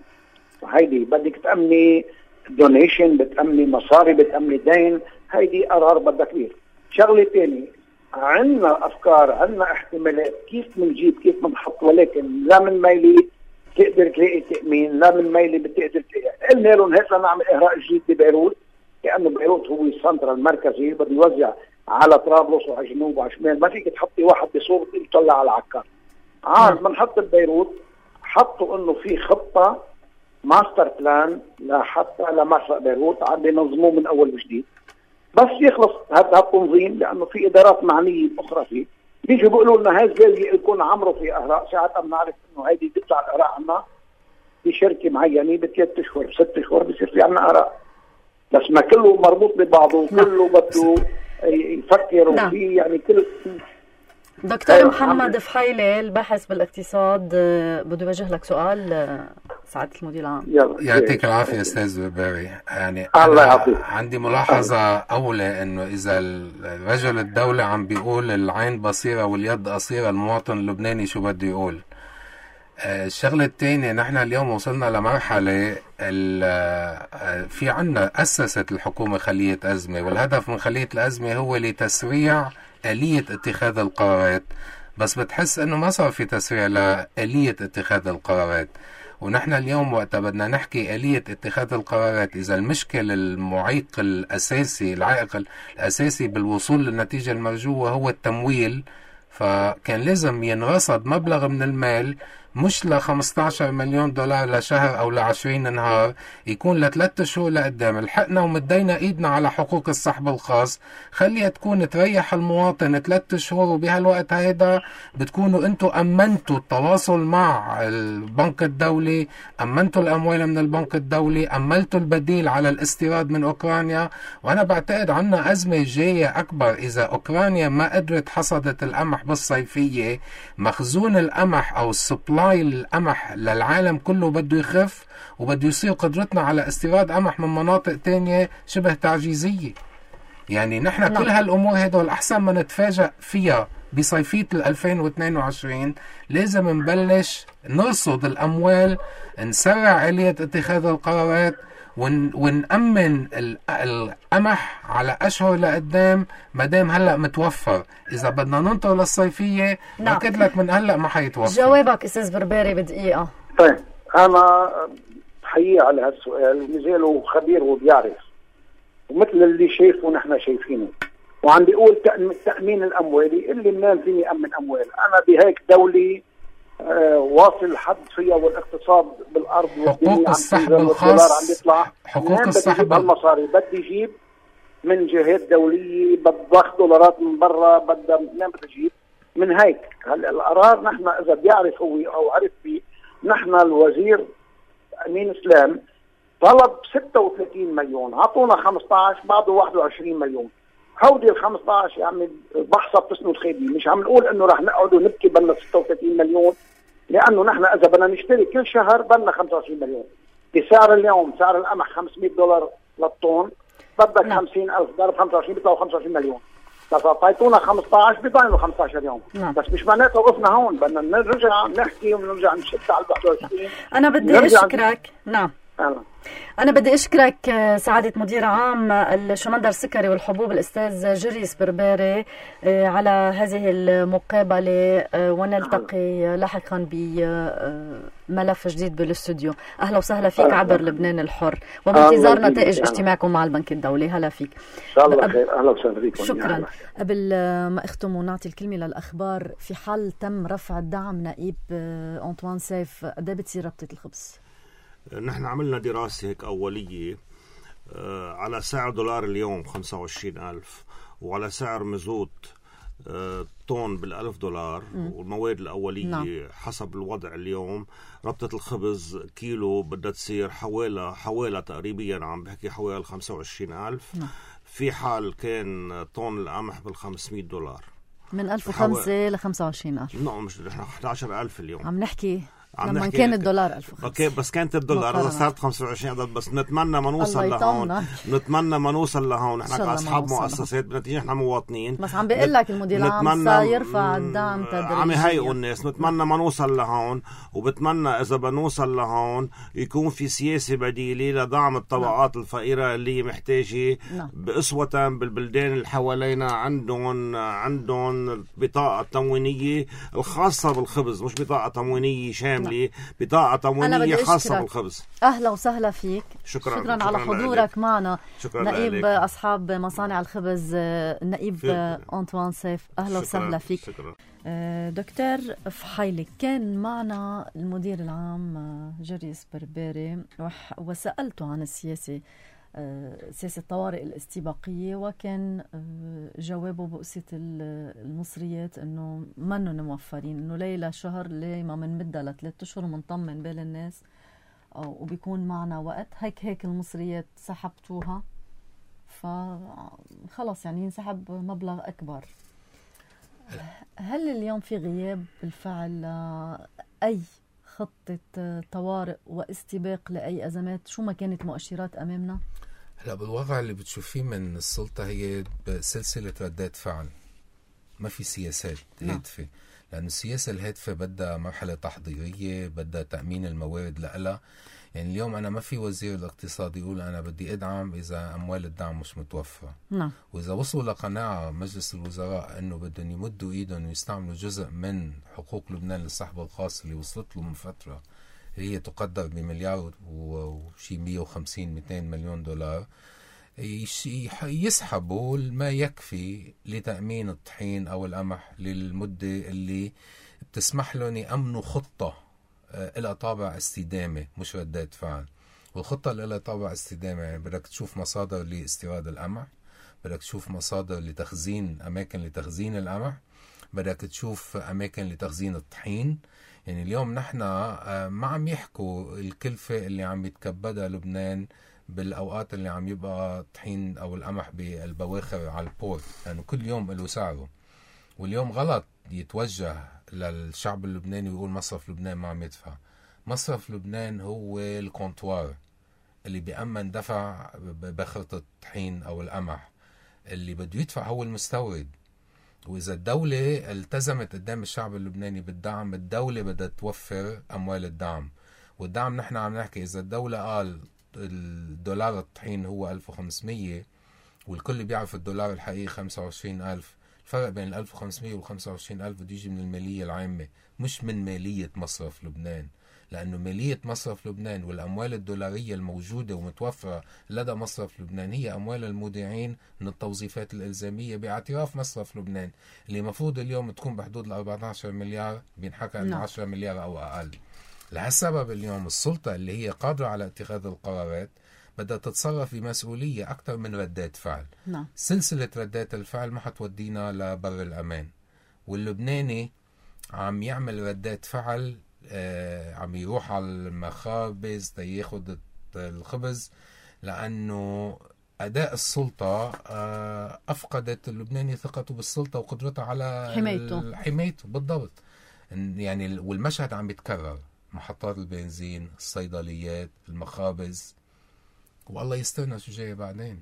هيدي بدك تامني دونيشن، بتامني مصاري، بتامني دين، هيدي قرار بدها كبير. شغله ثانيه، عندنا افكار، عندنا احتمالات كيف بنجيب، كيف بنحط، ولكن لا من ميلي تقدر تلاقي تامين، لا من ميلي بتقدر تلاقي. قلنا لهم هيك نعمل اغراء جديد ببيروت، لانه بيروت هو السنتر المركزي، بده يوزع على طرابلس وعلى الجنوب وعلى الشمال. ما فيك تحطي واحد بصوره تطلع على العكار. بنحط ببيروت، حطوا انه في خطه ماستر بلان لحتى لمشرق بيروت، عم بينظموه من اول وجديد. بس يخلص هذا التنظيم، لانه في ادارات معنيه اخرى فيه، بيجوا بيقولوا لنا هاي لازم يكون عمره في اهراء. ساعتها بنعرف انه هيدي تطلع الاهراء عنا بشركه معينه ب3 اشهر ب6 اشهر بصير في عنا اهراء. بس ما كله مربوط ببعضه، كله بده يفكر وفي يعني كل. دكتور محمد فحيلة الباحث بالاقتصاد بده يوجه لك سؤال سعادة المدير العام. يعطيك العافية أستاذ بربري. يعني الله يعطيك. عندي ملاحظة أولى، إنه إذا الرجل الدولة عم بيقول العين بصيرة واليد قصيرة، المواطن اللبناني شو بده يقول؟ الشغلة الثانية، نحن اليوم وصلنا لمرحلة في عنا أسست الحكومة خلية أزمة، والهدف من خلية الأزمة هو لتسريع آلية اتخاذ القرارات. بس بتحس انه ما صار في تسريع لآلية اتخاذ القرارات. ونحن اليوم وقت بدنا نحكي آلية اتخاذ القرارات، اذا المشكل المعيق الاساسي، العائق الاساسي بالوصول للنتيجة المرجوة هو التمويل، فكان لازم ينرصد مبلغ من المال مش ل$15 مليون لشهر او ل20 نهار، يكون ل3 شهور لقدام. الحقنا ومدينا ايدنا على حقوق السحب الخاص، خليها تكون تريح المواطن 3 شهور، وبهالوقت هيدا بتكونوا انتوا امنتوا التواصل مع البنك الدولي، امنتوا الاموال من البنك الدولي، املتوا البديل على الاستيراد من اوكرانيا. وانا بعتقد عنا ازمة جاية اكبر اذا اوكرانيا ما قدرت حصدت القمح بالصيفية. مخزون القمح او السبلاي القمح للعالم كله بده يخف، وبده يصير قدرتنا على استيراد قمح من مناطق تانية شبه تعجيزية. يعني نحن كل هالأمور هدول أحسن ما نتفاجأ فيها بصيفية 2022. لازم نبلش نرصد الأموال، نسرع آلية اتخاذ القرارات، ونأمن القمح على أشهر لقدام مادام هلأ متوفر. إذا بدنا ننطر للصيفية بأكد لك من هلأ ما حيتوفر. جوابك أستاذ بربري بدقيقة. طيب أنا حقيقة على هالسؤال، مازاله خبير وبيعرف، ومثل اللي شايفه نحن شايفينه، وعم بيقول تأمين الأموالي. اللي منين فيني أمن أموال؟ أنا بهيك دولي واصل حد فيها، والاقتصاد بالارض حقوق السحب الخاص عم بيطلع. حقوق السحب المصاري بدي يجيب من جهات دوليه، بضخ دولارات من برا، بدها منين بدي اجيب؟ من هيك. هلا القرار نحن اذا بيعرف هو او عرف فيه، نحن الوزير امين اسلام طلب 36 مليون، عطونا 15، بعده 21 مليون. هودي ال15 يا عمي بحصة بتسند خيبي. مش عم نقول انه رح نقعد ونبكي بدنا 36 مليون، لانه نحن اذا بدنا نشتري كل شهر بدنا 25 مليون. بسعر اليوم سعر القمح $500 للطن، بدك 50,000 ضرب 25 بيطلعوا 25 مليون. بس اعطيتونا 15 بيضلوا 15 يوم. بس مش معناته وقفنا هون، بدنا نرجع نحكي ونرجع نشد على 21. انا بدي اشكرك. نعم أنا بدي أشكرك سعادة مدير عام الشمندر السكري والحبوب الأستاذ جريس بربري على هذه المقابلة، ونلتقي لاحقا بملف جديد بالاستوديو. أهلا وسهلا فيك عبر لبنان الحر، وبانتظار نتائج اجتماعكم مع البنك الدولي. هلا فيك إن شاء الله خير. أهلا وسهلا فيكم. شكرا. قبل ما أختم ونعطي الكلمة للأخبار، في حال تم رفع الدعم نائب أنطوان سيف، قد بتصير ربطة الخبز؟ نحن عملنا دراسة هيك أولية على سعر دولار اليوم 25,000، وعلى سعر مزوت طن $1,000، والمواد الأولية حسب الوضع اليوم. ربطة الخبز كيلو بدها تصير حوالي تقريبا عم بحكي حوالي 25,000. في حال كان طن القمح $500 من 1,005 ل 25,000. نعم، مش نحن 11,000 اليوم عم نحكي لما كان الدولار 1500. اوكي بس كانت الدولار هذا صارت 25 عدد. بس نتمنى ما نوصل لهون، نتمنى ما نوصل لهون. نحن كأصحاب مؤسسات بنتيجة نحن مواطنين. بس عم بيقول لك المدير العام سيرفع الدعم تدريجيا. عم يهيئوا الناس. نتمنى ما نوصل لهون، وبتمنى إذا بنوصل لهون يكون في سياسة بديلة لدعم الطبقات الفقيرة اللي محتاجة بأسوة بالبلدان اللي حوالينا. عندهم بطاقة تموينية الخاصة بالخبز، مش بطاقة تموينية شاملة، بطاقة تموينية خاصة بالخبز. أهلا وسهلا فيك. شكرا على حضورك معنا. نائب أصحاب مصانع الخبز النائب أنطوان سيف، أهلا وسهلا فيك. شكرا. دكتور فحيلي، كان معنا المدير العام جريس برباري وسألته عن سياسة الطوارئ الاستباقية، وكان جوابه بقصة المصريات انه منن موفرين، انه ليلة شهر ليه ما منمدها ل3 أشهر ومنطمن بال الناس وبيكون معنا وقت. هيك المصريات سحبتوها، فخلص يعني ينسحب مبلغ أكبر. هل اليوم في غياب بالفعل أي خطة طوارئ واستباق لأي أزمات شو ما كانت مؤشرات أمامنا؟ هلا بالوضع اللي بتشوفيه من السلطة هي سلسلة ردات فعل، ما في سياسات هادفة. لأن السياسة الهادفة بدها مرحلة تحضيرية، بدها تأمين الموارد لها. يعني اليوم أنا ما في وزير الاقتصاد يقول أنا بدي أدعم إذا أموال الدعم مش متوفرة. وإذا وصلوا لقناعة مجلس الوزراء أنه بدهم يمدوا إيدهم ويستعملوا جزء من حقوق لبنان للسحب الخاص اللي وصلت له من فترة، هي تقدر بمليار وشي 150-200 مليون دولار، يسحبوا ما يكفي لتأمين الطحين أو القمح للمدة اللي بتسمح لهم يأمنوا خطة إلى طابع استدامة مش ردات فعل. والخطة اللي إلى طابع استدامة يعني بدك تشوف مصادر لاستيراد القمح، بدك تشوف مصادر لتخزين، أماكن لتخزين القمح، بدك تشوف أماكن لتخزين الطحين. يعني اليوم نحن ما عم يحكوا الكلفة اللي عم يتكبدها لبنان بالأوقات اللي عم يبقى طحين أو القمح بالبواخر على البورت، لأنه يعني كل يوم له سعره. واليوم غلط يتوجه للشعب اللبناني ويقول مصرف لبنان ما عم يدفع. مصرف لبنان هو الكونتوار اللي بيأمن دفع بخرة الطحين أو القمح، اللي بده يدفع هو المستورد. وإذا الدولة التزمت قدام الشعب اللبناني بالدعم، الدولة بدها توفر أموال الدعم. والدعم نحن عم نحكي إذا الدولة قال الدولار الطحين هو 1500 والكل بيعرف الدولار الحقيقي 25,000، الفرق بين 1500 وال 25,000 بده يجي من المالية العامة مش من مالية مصرف لبنان. لأنه مالية مصرف لبنان والأموال الدولارية الموجودة ومتوفرة لدى مصرف لبنان هي أموال المودعين من التوظيفات الإلزامية باعتراف مصرف لبنان، اللي مفروض اليوم تكون بحدود 14 مليار، بينحكى أنه 10 مليار أو أقل. لهالسبب اليوم السلطة اللي هي قادرة على اتخاذ القرارات بدها تتصرف بمسؤولية أكثر من ردات فعل. سلسلة ردات الفعل ما حتودينا لبر الأمان. واللبناني عم يعمل ردات فعل، عم يروح على المخابز ياخد الخبز، لأنه أداء السلطة أفقدت اللبناني ثقته بالسلطة وقدرتها على حمايته بالضبط. يعني والمشهد عم يتكرر، محطات البنزين، الصيدليات، المخابز، والله يسترنا شو جاي بعدين.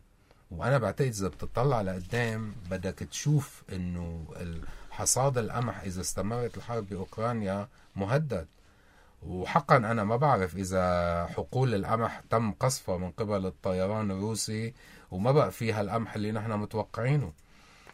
وأنا بعتقد إذا بتطلع لقدام بدك تشوف إنه حصاد القمح إذا استمرت الحرب بأوكرانيا مهدد. وحقا أنا ما بعرف إذا حقول القمح تم قصفها من قبل الطيران الروسي وما بقى فيها القمح اللي نحن متوقعينه.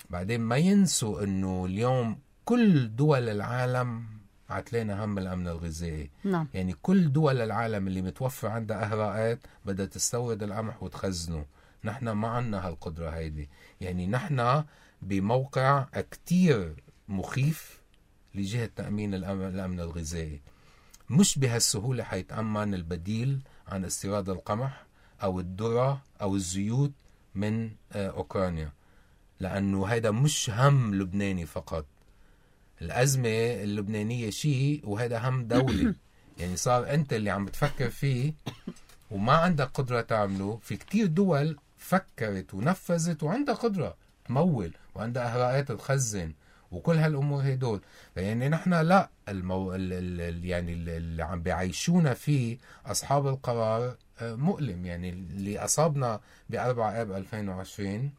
بعدين ما ينسوا إنه اليوم كل دول العالم عتلينا هم الأمن الغذائي. يعني كل دول العالم اللي متوفر عندها أهراءات بدها تستورد القمح وتخزنه. نحن ما عنا هالقدرة هيدي. يعني نحن بموقع كتير مخيف لجهة تأمين الأمن الغذائي. مش بهالسهولة حيتأمن البديل عن استيراد القمح أو الذرة أو الزيوت من أوكرانيا، لأنه هذا مش هم لبناني فقط. الأزمة اللبنانية شيء وهذا هم دولي. يعني صار أنت اللي عم تفكر فيه وما عندك قدرة تعمله. في كتير دول فكرت ونفذت وعندها قدرة تمول وعندها أهراءات تخزن وكل هالامور هدول. يعني نحن لا يعني اللي عم بيعيشونا فيه اصحاب القرار مؤلم. يعني اللي اصابنا ب4 آب 2020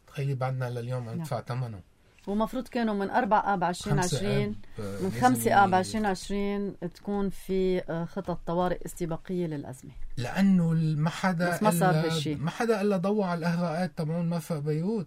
تخيلي بعدنا لليوم عم ندفع ثمنه. ومفروض كانوا من 4 آب 2020 من 5 آب 2020 تكون في خطط طوارئ استباقية للأزمة، لأنه ما حدا ما صار هالشي. ما حدا إلا ضوى على الإهراءات تبعون مرفأ بيروت،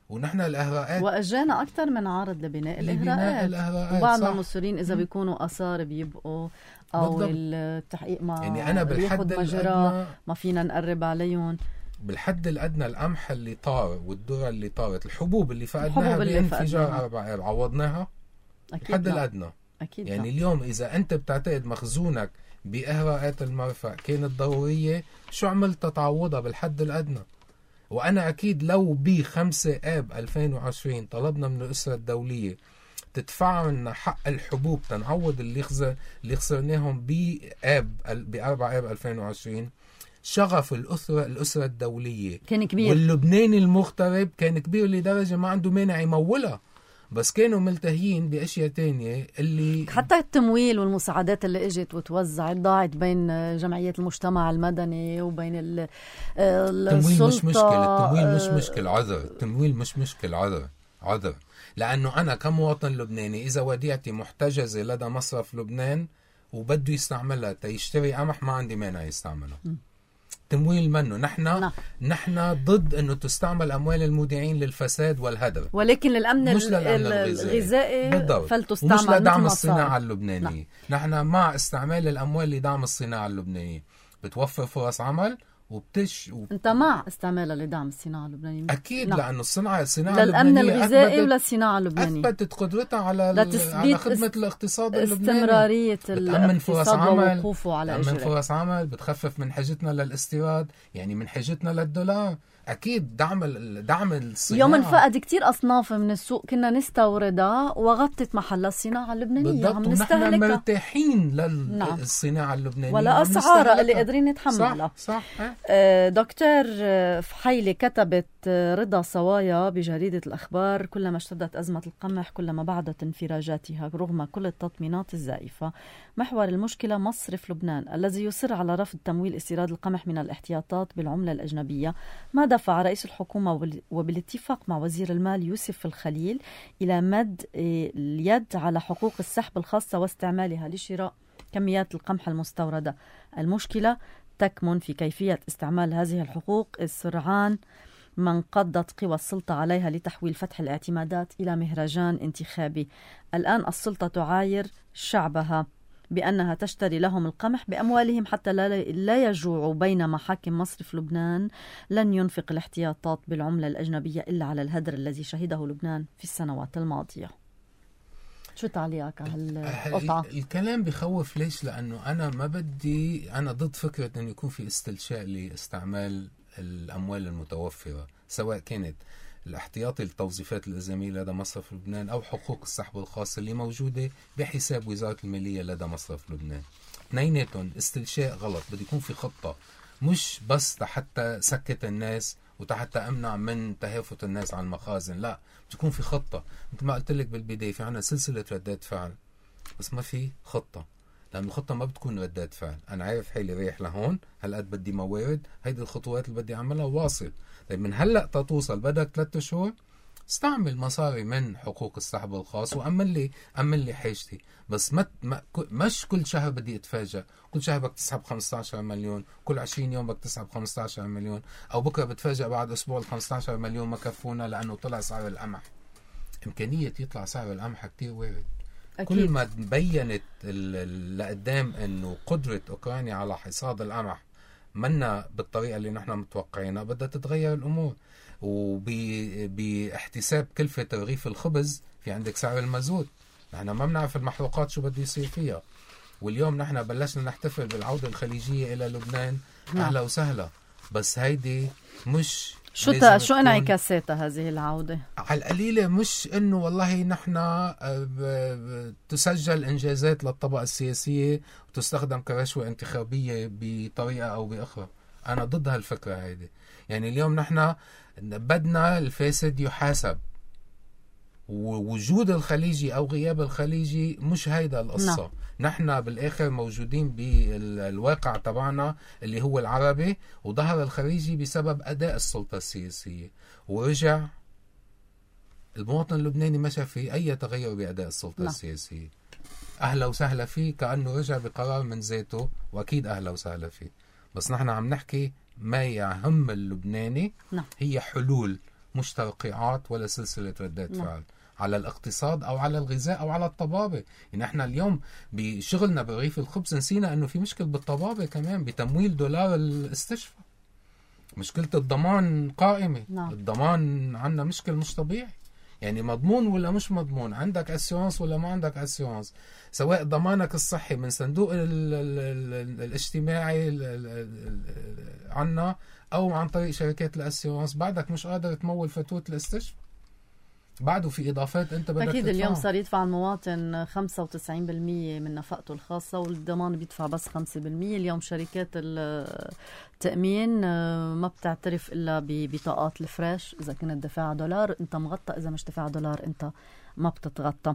ونحن الإهراءات وأجانا أكثر من عارض لبناء الإهراءات. وبعضنا مصرين إذا بيكونوا آثار بيبقوا أو بالضبط. التحقيق ما يعني أنا بالحد الأدنى ما فينا نقرب عليهم. بالحد الأدنى القمح اللي طار والذرة اللي طارت، الحبوب اللي فقدناها بانفجار 4 آب عوضناها بالحد الأدنى. أكيد يعني اليوم إذا أنت بتعتقد مخزونك بإهراءات المرفأ كانت ضرورية، شو عملت تعوضها بالحد الأدنى؟ وأنا أكيد لو ب5 آب 2020 طلبنا من الأسرة الدولية تدفع لنا حق الحبوب تنعوض اللي خسرناهم ب4 آب 2020، شغف الأسرة الدولية كان كبير، واللبناني المغترب كان كبير لدرجة ما عنده مانع يمولها، بس كانوا ملتهيين بأشياء تانية. اللي حتى التمويل والمساعدات اللي اجت وتوزعت ضاعت بين جمعيات المجتمع المدني وبين التمويل مش مشكلة. التمويل مش مشكلة، عذر. التمويل مش مشكلة، عذر. لأنه أنا كمواطن لبناني إذا وديعتي محتجزة لدى مصرف لبنان وبده يستعملها تيشتري قمح، ما عندي مانع يستعملها. تمويل منه. نحن ضد انه تستعمل اموال المودعين للفساد والهدر، ولكن للامن مش الغذائي فلتستعمل، مش لدعم الصناعه اللبنانيه. نحن مع استعمال الاموال لدعم الصناعه اللبنانيه، بتوفر فرص عمل انت مع استعمالها لدعم الصناعه اللبنانيه اكيد. لانه الصناعه للامن الغذائي وللصناعه اللبنانيه اثبتت قدرتها على خدمه الاقتصاد اللبناني، استمراريه الاقتصاد ووقوفه على اجره، بتأمن فرص عمل، بتخفف من حاجتنا للاستيراد، يعني من حاجتنا للدولار. اكيد دعم الصناعه. يوم انفقد كتير اصناف من السوق كنا نستوردها وغطت محل الصناعه اللبنانيه، عم نستهلكها. ونحن مرتاحين للصناعه اللبنانيه ولا اسعارها اللي قادرين نتحملها. صح. دكتور فحيلي، كتبت رضا صوايا بجريدة الأخبار: كلما اشتدت أزمة القمح كلما بعدت انفراجاتها رغم كل التطمينات الزائفة. محور المشكلة مصرف لبنان الذي يصر على رفض تمويل استيراد القمح من الاحتياطات بالعملة الأجنبية. ما دفع رئيس الحكومة وبالاتفاق مع وزير المال يوسف الخليل إلى مد اليد على حقوق السحب الخاصة واستعمالها لشراء كميات القمح المستوردة؟ المشكلة تكمن في كيفية استعمال هذه الحقوق السرعان ما انقضت قوى السلطة عليها لتحويل فتح الاعتمادات إلى مهرجان انتخابي. الآن السلطة تعاير شعبها بأنها تشتري لهم القمح بأموالهم حتى لا يجوعوا، بينما حاكم مصرف لبنان لن ينفق الاحتياطات بالعملة الأجنبية إلا على الهدر الذي شهده لبنان في السنوات الماضية. شو تعليقك على هالقطعة؟ الكلام بخوف. ليش؟ لأنه أنا ضد فكرة أن يكون في استلشاء لاستعمال الأموال المتوفرة، سواء كانت الاحتياطي للتوظيفات الإلزامية لدى مصرف لبنان أو حقوق السحب الخاصة اللي موجودة بحساب وزارة المالية لدى مصرف لبنان. اثنيناتهم استلشاء غلط. بده يكون في خطة، مش بس حتى سكت الناس وحتى أمنع من تهافت الناس عن المخازن. لا، بتكون في خطة. مثل ما قلت لك بالبداية، في عنا سلسلة ردات فعل، بس ما في خطة. لأن الخطة ما بتكون ردات فعل. أنا عارف حالي رايح لهون، هالقد بدي موارد، هيدي الخطوات اللي بدي أعملها وواصل. طيب من هلأ تتوصل بدك 3 شهور، استعمل مصاري من حقوق السحب الخاص وأمن لي حاجتي. بس مش كل شهر بدي أتفاجأ، كل شهر بدك تسحب 15 مليون، كل 20 يوم بدك تسحب 15 مليون، أو بكرة بتفاجأ بعد أسبوع 15 مليون ما كفونا لأنه طلع سعر القمح. إمكانية يطلع سعر القمح كتير وارد. أكيد. كل ما بينت لقدام أنه قدرة أوكرانيا على حصاد القمح منا بالطريقة اللي نحن متوقعينها، بدها تتغير الأمور. وباحتساب كلفة رغيف الخبز في عندك سعر المازوت. نحن ما بنعرف المحروقات شو بده يصير فيها. واليوم نحن بلشنا نحتفل بالعودة الخليجية إلى لبنان. أهلا وسهلا، بس هيدي مش شو انعكاساتها هذه العودة؟ على القليلة مش انه والله نحن تسجل انجازات للطبقة السياسية وتستخدم كرشوة انتخابية بطريقة او باخرى. انا ضد هالفكرة هيدي. يعني اليوم نحن بدنا الفاسد يحاسب، ووجود الخليجي أو غياب الخليجي مش هيدا القصة. نحن بالآخر موجودين بالواقع تبعنا اللي هو العربي، وظهر الخليجي بسبب أداء السلطة السياسية، ورجع المواطن اللبناني ما شاف فيه أي تغير بأداء السلطة السياسية. أهلا وسهلا فيه كأنه رجع بقرار من ذاته، وأكيد أهلا وسهلا فيه. بس نحن عم نحكي ما يهم اللبناني هي حلول، مش ترقيعات ولا سلسلة ردات فعل على الاقتصاد أو على الغذاء أو على الطبابة. يعني احنا اليوم بشغلنا برغيف الخبز نسينا أنه في مشكلة بالطبابة كمان، بتمويل دولار الاستشفاء. مشكلة الضمان قائمة. الضمان عندنا مشكل مش طبيعي، يعني مضمون ولا مش مضمون، عندك اسيونس ولا ما عندك اسيونس، سواء ضمانك الصحي من صندوق الاجتماعي عنا او عن طريق شركات الاسيونس، بعدك مش قادر تمول فاتورة الاستشفاء، بعده في اضافات انت بدك اكيد تدفعها. اليوم صار يدفع المواطن 95% من نفقته الخاصه، والضمان بيدفع بس 5%. اليوم شركات التامين ما بتعترف الا ببطاقات الفريش، اذا كنت دافع دولار انت مغطى، اذا مش دافع دولار انت ما بتتغطى.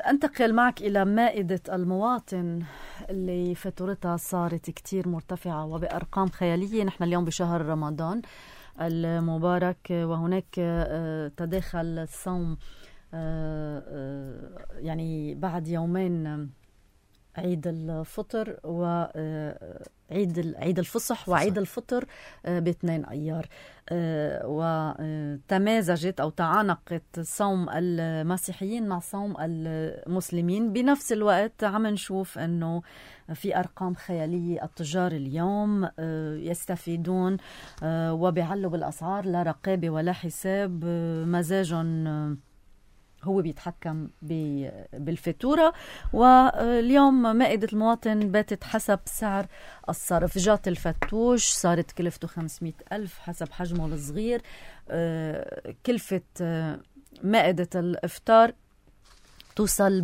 انتقل معك الى مائده المواطن اللي فاتورتها صارت كتير مرتفعه وبارقام خياليه. نحن اليوم بشهر رمضان المبارك، وهناك تداخل الصوم يعني بعد يومين عيد الفطر وعيد الفصح وعيد الفطر ب2 أيار، وتمازجت أو تعانقت صوم المسيحيين مع صوم المسلمين. بنفس الوقت عم نشوف أنه في أرقام خيالية، التجار اليوم يستفيدون وبيعلوا بالأسعار، لا رقابة ولا حساب، مزاجهم هو بيتحكم بالفاتورة. واليوم مائدة المواطن باتت حسب سعر الصرف. جات الفتوش صارت كلفته 500,000 حسب حجمه الصغير. كلفة مائدة الإفطار توصل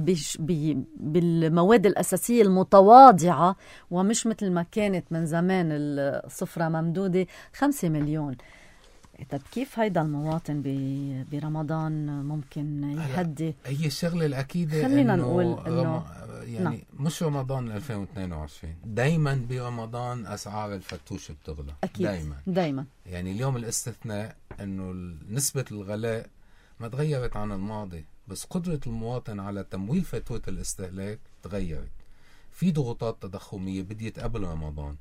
بالمواد الأساسية المتواضعة ومش مثل ما كانت من زمان الصفرة ممدودة 5 مليون. طب كيف هيدا المواطن برمضان ممكن يهدي؟ هي الشغلة الأكيدة خلينا نقول إنه يعني مش رمضان 2022 دايما برمضان أسعار الفتوش بتغلى. أكيد دايما. يعني اليوم الاستثناء إنه نسبة الغلاء ما تغيرت عن الماضي، بس قدرة المواطن على تمويل فاتورة الاستهلاك تغيرت. في ضغوطات تضخمية بديت قبل رمضان،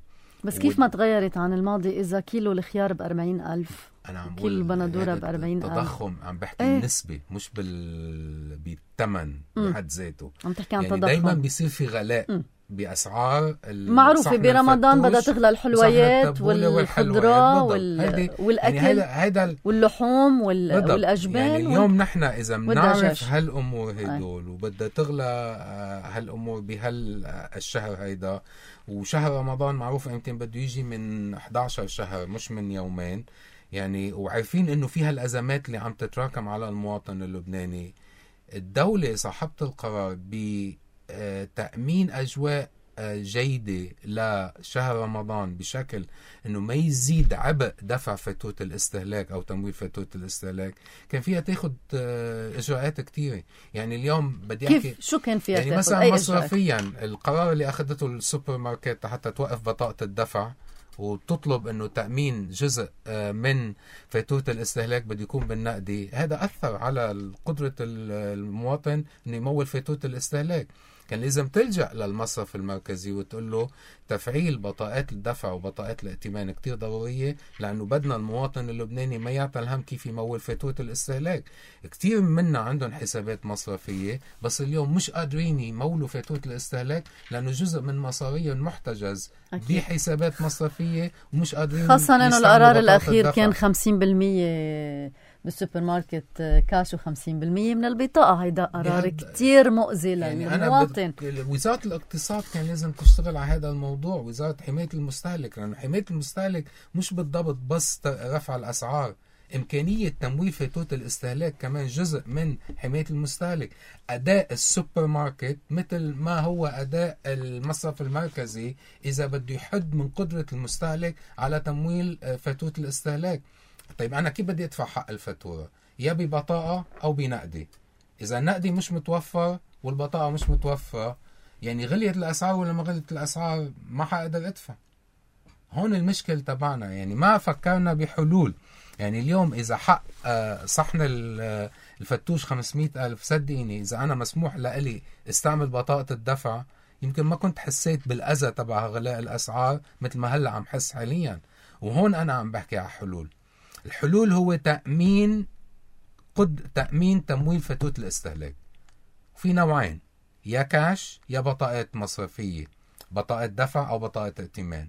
بس كيف ما تغيرت عن الماضي إذا كيلو الخيار ب40,000 أنا عم كيلو البندورة ب40,000؟ تضخم عم بحكي النسبة مش بالثمن بحد ذاته. عم تحكي عن يعني تضخم. دايما بيصير في غلاء بأسعار معروفة. برمضان بدها تغلى الحلويات والخضرة والأكل يعني واللحوم والأجبان يعني اليوم نحن إذا بنعرف هالأمور هيدول وبدها تغلى هالأمور بهالشهر هيدا، وشهر رمضان معروف امتى بده يجي من 11 شهر مش من يومين يعني، وعارفين إنه فيها الأزمات اللي عم تتراكم على المواطن اللبناني. الدولة صاحبة القرار بتأمين أجواء جيدة لشهر رمضان بشكل أنه ما يزيد عبء دفع فاتورة الاستهلاك أو تمويل فاتورة الاستهلاك، كان فيها تاخد إجراءات كتيرة. يعني اليوم بدي أحكي شو كان فيها يعني مثلا مصرفيا القرار اللي أخذته السوبر ماركت حتى توقف بطاقة الدفع وتطلب أنه تأمين جزء من فاتورة الاستهلاك بده يكون بالنقدي، هذا أثر على قدرة المواطن أنه يمول فاتورة الاستهلاك. كان لازم تلجأ للمصرف المركزي وتقول له تفعيل بطاقات الدفع وبطاقات الائتمان كتير ضرورية، لأنه بدنا المواطن اللبناني ما يعطل هم كيف يمول فاتورة الاستهلاك. كتير منا عندهم حسابات مصرفية بس اليوم مش قادرين يمولوا فاتورة الاستهلاك لأنه جزء من مصاريهم محتجز بحسابات مصرفية ومش قادرين، خاصة أنه القرار الأخير كان 50% بالسوبر ماركت كاش و50% من البطاقة. هيدا قرار كتير مؤذي للمواطن. وزارة الاقتصاد كان لازم تشتغل على هذا الموضوع، وزارة حماية المستهلك، لأنه حماية المستهلك مش بالضبط بس رفع الأسعار، إمكانية تمويل فاتورة الاستهلاك كمان جزء من حماية المستهلك. أداء السوبر ماركت مثل ما هو أداء المصرف المركزي إذا بده يحد من قدرة المستهلك على تمويل فاتورة الاستهلاك. طيب أنا كيف بدي أدفع حق الفاتورة؟ يا ببطاقة أو بنقدي. إذا النقدي مش متوفر والبطاقة مش متوفرة، يعني غليت الأسعار ولا ما غليت الأسعار ما حقدر أدفع. هون المشكل تبعنا، يعني ما فكرنا بحلول. يعني اليوم إذا حق صحن الفتوش 500,000، صدقيني إذا أنا مسموح لي استعمل بطاقة الدفع يمكن ما كنت حسيت بالأذى تبع غلاء الأسعار مثل ما هلأ عم حس حاليا. وهون أنا عم بحكي على حلول. الحلول هو تأمين تمويل فتوت الاستهلاك. في نوعين، يا كاش يا بطاقات مصرفية، بطاقة دفع أو بطاقة ائتمان.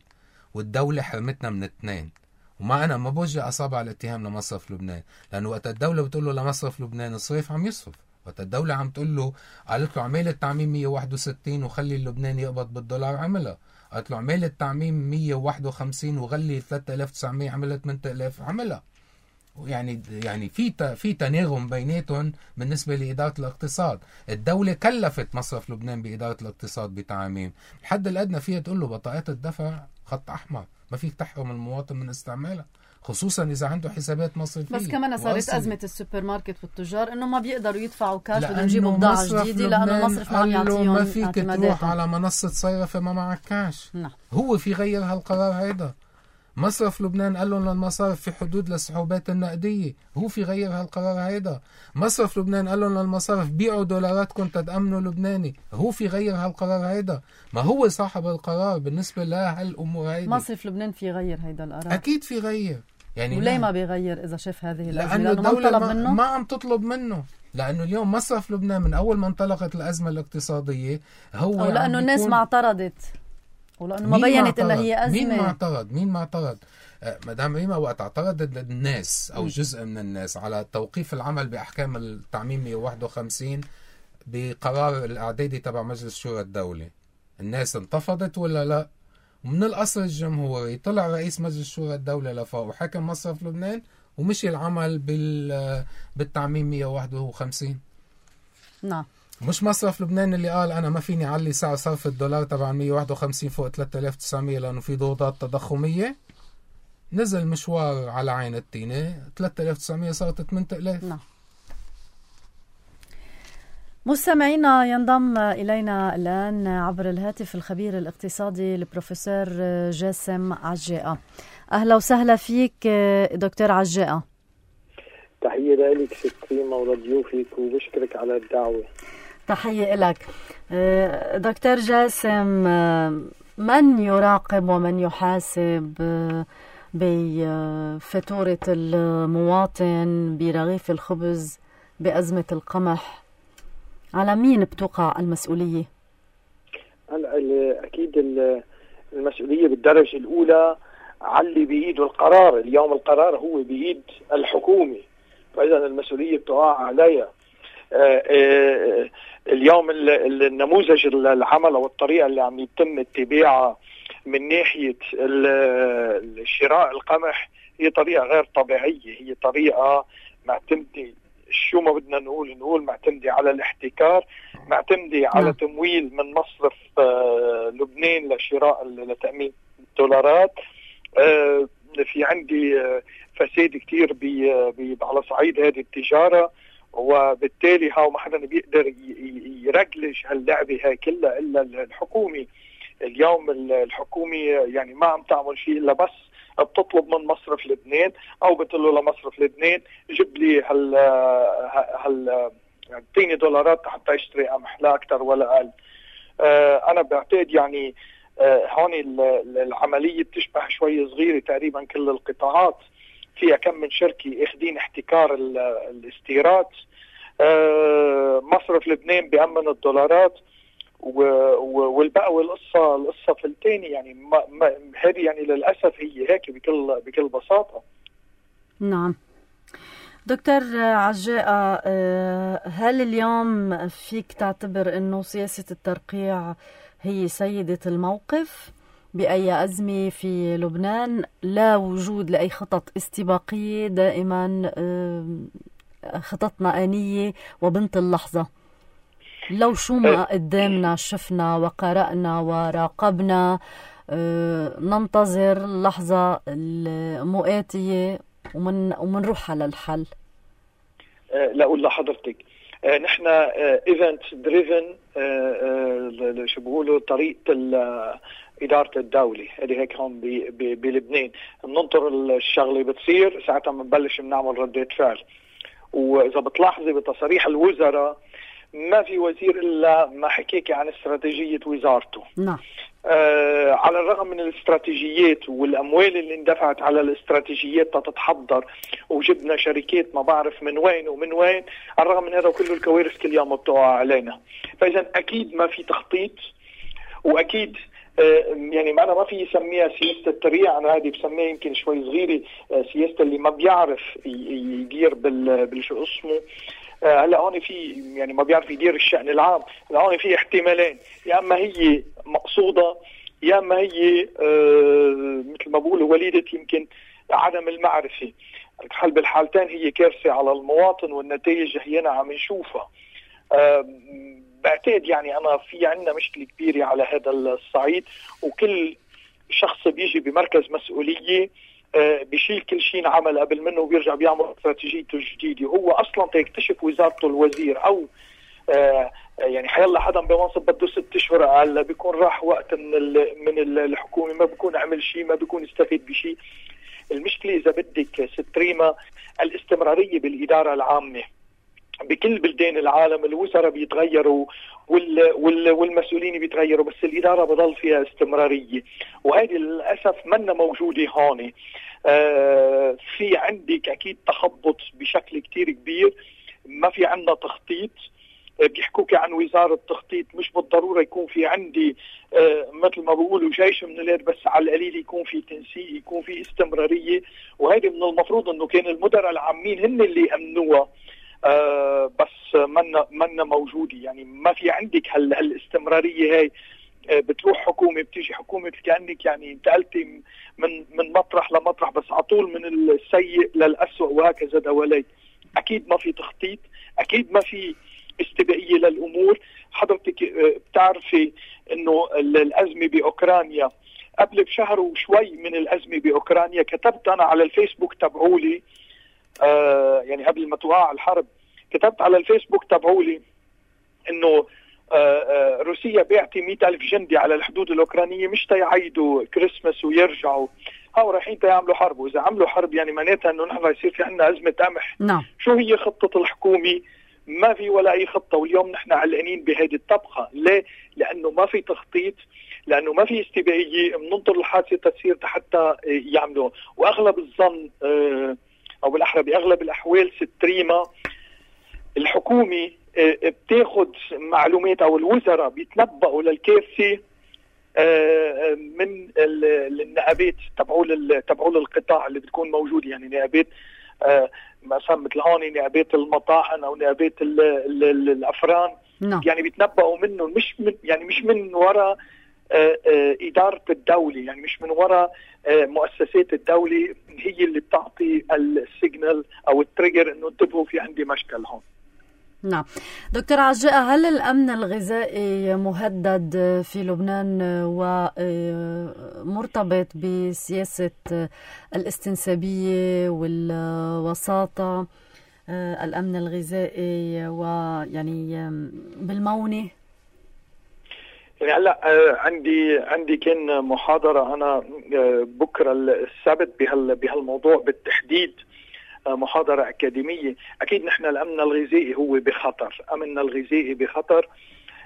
والدولة حرمتنا من الاثنين. وما أنا ما بوجه أصابع الاتهام لمصرف لبنان، لأنه وقت الدولة بتقول له لمصرف لبنان اصرف عم يصرف. وقت الدولة عم تقول له قالت له عمال التعميم 161 وخلي اللبناني يقبض بالدولار، عملها. قالت له عمال التعميم 151 وغلي 3900 عملت 8000، عملها. يعني في تناغم بيناتهم بالنسبة لإدارة الاقتصاد. الدولة كلفت مصرف لبنان بإدارة الاقتصاد بتعميم. الحد الأدنى فيها تقول له بطاقات الدفع خط أحمر، ما فيك تحرم المواطن من استعمالها، خصوصا إذا عنده حسابات مصرفية. بس كمان صارت أزمة السوبر ماركت والتجار إنه ما بيقدروا يدفعوا كاش، بدهم يجيبوا بضاعة جديدة لأنه المصرف ما عم يعطيهم. ما فيك تروح على منصة صرف ما معك كاش. هو في غير هالقرار هيدا. مصرف لبنان قال لهم للمصارف في حدود للسحوبات النقدية، هو في غير هالقرار هيدا. مصرف لبنان قال لهم للمصارف بيعوا دولاراتكم تتأمنوا لبناني، هو في غير هالقرار هيدا. ما هو صاحب القرار بالنسبة لهالأمور هيدا. مصرف لبنان في غير هيدا القرار، أكيد في غير. يعني وليه ما بيغير إذا شاف هذه الأزمة؟ لأنه الدولة ما عم تطلب منه. لأنه اليوم مصرف لبنان من أول ما انطلقت الأزمة الاقتصادية هو أو لأنه الناس ما اعترضت، ولأنه ما بيّنت إنها هي أزمة. مين ما اعترض؟ مدام ريما وقت اعترضت الناس أو جزء من الناس على توقيف العمل بأحكام التعميم 151 بقرار الإعدادي تبع مجلس شورى الدولة، الناس انتفضت ولا لا؟ ومن القصر الجمهوري طلع رئيس مجلس شورى الدولة لفوق وحكم مصرف لبنان ومشي العمل بالتعميم 151. نعم. مش مصرف لبنان اللي قال أنا ما فيني علي سعر صرف الدولار تبع 151 فوق 3900 لأنه في ضغوطات تضخمية. نزل مشوار على عين التينة، 3900 صارت 8000. نعم. مستمعينا، ينضم إلينا الآن عبر الهاتف الخبير الاقتصادي البروفيسور جاسم عجاقة. أهلا وسهلا فيك دكتور عجاقة. تحية لك ست ريما ولضيوفك وبشكرك على الدعوة. تحية لك دكتور جاسم. من يراقب ومن يحاسب بفاتورة المواطن برغيف الخبز بأزمة القمح؟ على مين بتوقع المسؤولية؟ أكيد المسؤولية بالدرجة الأولى على اللي بإيده القرار. اليوم القرار هو بإيد الحكومة، فإذا المسؤولية بتقع عليها. اليوم النموذج العمل أو الطريقة اللي عم يتم اتباعها من ناحية شراء القمح هي طريقة غير طبيعية. هي طريقة معتمدة، شو ما بدنا نقول معتمدة على الاحتكار، معتمدة على تمويل من مصرف لبنان لتأمين الدولارات. في عندي فساد كتير على صعيد هذه التجارة، وبالتالي ما حدا بيقدر يرجلج هاللعبة هاي كلها إلا الحكومة. اليوم الحكومة يعني ما عم تعمل شيء إلا بس بتطلب من مصرف لبنان أو بتقول له لمصرف لبنان جيب لي اعطيني دولارات حتى يشتري قمح، لا أكثر ولا أقل. أنا بعتقد يعني هون العملية بتشبه شوي صغيرة. تقريبا كل القطاعات فيها كم من شركة اخدين احتكار الاستيراد. مصرف لبنان بيأمن الدولارات والبقى القصة في الثاني. يعني هذه يعني للأسف هي هيك بكل بساطة. نعم. دكتور عجاقة، هل اليوم فيك تعتبر أنه سياسة الترقيع هي سيدة الموقف بأي أزمة في لبنان، لا وجود لأي خطط استباقية، دائما خططنا آنية وبنت اللحظة؟ لو شو ما قدامنا شفنا وقرأنا وراقبنا، ننتظر اللحظة المؤاتية ومنروح على الحل. لأقول لحضرتك نحن ايفنت دريفن، شو بيقولوا طريقة إدارة الدولة اللي هيك هون بلبنان، بننطر الشغلة بتصير ساعتها بنبلش بنعمل ردة فعل. وإذا بتلاحظي بتصاريح الوزراء ما في وزير إلا ما حكيكي عن استراتيجية وزارته. نعم. على الرغم من الاستراتيجيات والأموال اللي اندفعت على الاستراتيجيات تتحضر، وجبنا شركات ما بعرف من وين ومن وين، على الرغم من هذا كله الكوارث كل يوم بتقع علينا. فإذا أكيد ما في تخطيط، وأكيد يعني معنا ما في يسميها سياسة التريع، أنا هذه بسميها يمكن شوي صغيرة سياسة اللي ما بيعرف يدير بالشو اسمه. هلا هون في يعني ما بيعرف يدير الشأن العام. هلا هون في احتمالين، يا اما هي مقصودة يا اما هي مثل ما بقولوا وليدة يمكن عدم المعرفة. بالحالتين هي كارثة على المواطن، والنتائج هينا عم نشوفها. بعتقد يعني انا في عندنا مشكلة كبيرة على هذا الصعيد، وكل شخص بيجي بمركز مسؤولية بيشيل كل شيء انعمل قبل منه وبيرجع بيعمل استراتيجيته الجديدة. هو اصلا تكتشف وزارته الوزير او يعني حيلا حدا بمنصب بده 6 اشهر اقل بيكون راح وقت من الحكومة، ما بيكون عمل شيء، ما بيكون استفيد بشيء. المشكلة اذا بدك ست ريما الاستمرارية بالإدارة العامة. بكل بلدان العالم الوزراء بيتغيروا والمسؤولين بيتغيروا، بس الإدارة بضل فيها استمرارية، وهذه للأسف منا موجودة هون. في عندك أكيد تخبط بشكل كتير كبير، ما في عندنا تخطيط. بيحكوك عن وزارة تخطيط، مش بالضرورة يكون في عندي مثل ما بيقولوا جيش من اليد، بس على القليل يكون في تنسيق، يكون في استمرارية. وهذه من المفروض انه كان المدراء العامين هن اللي يأمنوها، بس منا موجودة. يعني ما في عندك هالاستمرارية هاي. بتروح حكومة بتيجي حكومة كأنك يعني انتقلتي من مطرح لمطرح، بس عطول من السيء للأسوأ وهكذا دواليك. أكيد ما في تخطيط، أكيد ما في استباقية للأمور. حضرتك بتعرفي إنه الأزمة بأوكرانيا قبل بشهر وشوي من الأزمة بأوكرانيا كتبت أنا على الفيسبوك تبعولي، يعني قبل ما توقع الحرب كتبت على الفيسبوك تبعولي إنه روسيا بيعطي 100,000 جندي على الحدود الأوكرانية مش تيعيدوا كريسماس ويرجعوا، هاو رايحين تيعملوا حرب. وإذا عملوا حرب يعني معناتها إنه نحن يصير في عنا أزمة قمح. نعم. شو هي خطة الحكومة؟ ما في ولا أي خطة. واليوم نحن علقانين بهذه الطبخة. ليه؟ لأنه ما في تخطيط، لأنه ما في استباقية. بننطر الحادثة تصير حتى يعملوا. وأغلب الظن أو بالأحرى بأغلب الأحوال ست ريما الحكومة بتاخد معلومات أو الوزراء بيتنبأوا للكارثة من النقابات تبعول القطاع اللي بتكون موجودة. يعني نقابات مثلا مثل هون نقابات المطاحن أو نقابات الأفران. يعني بيتنبأوا منه مش من وراء إدارة الدولة، يعني مش من وراء مؤسسات الدولة هي اللي بتعطي السيجنال أو التريجر إنه انتبهوا في عندي مشكل هون. نعم. دكتور عجاء، هل الأمن الغذائي مهدد في لبنان ومرتبط بسياسة الاستنسابية والوساطة الأمن الغذائي ويعني بالمونة؟ يعني هلا عندي كان محاضرة أنا بكرة السبت بهالموضوع بالتحديد، محاضرة أكاديمية. أكيد نحن الأمن الغذائي هو بخطر، أمننا الغذائي بخطر،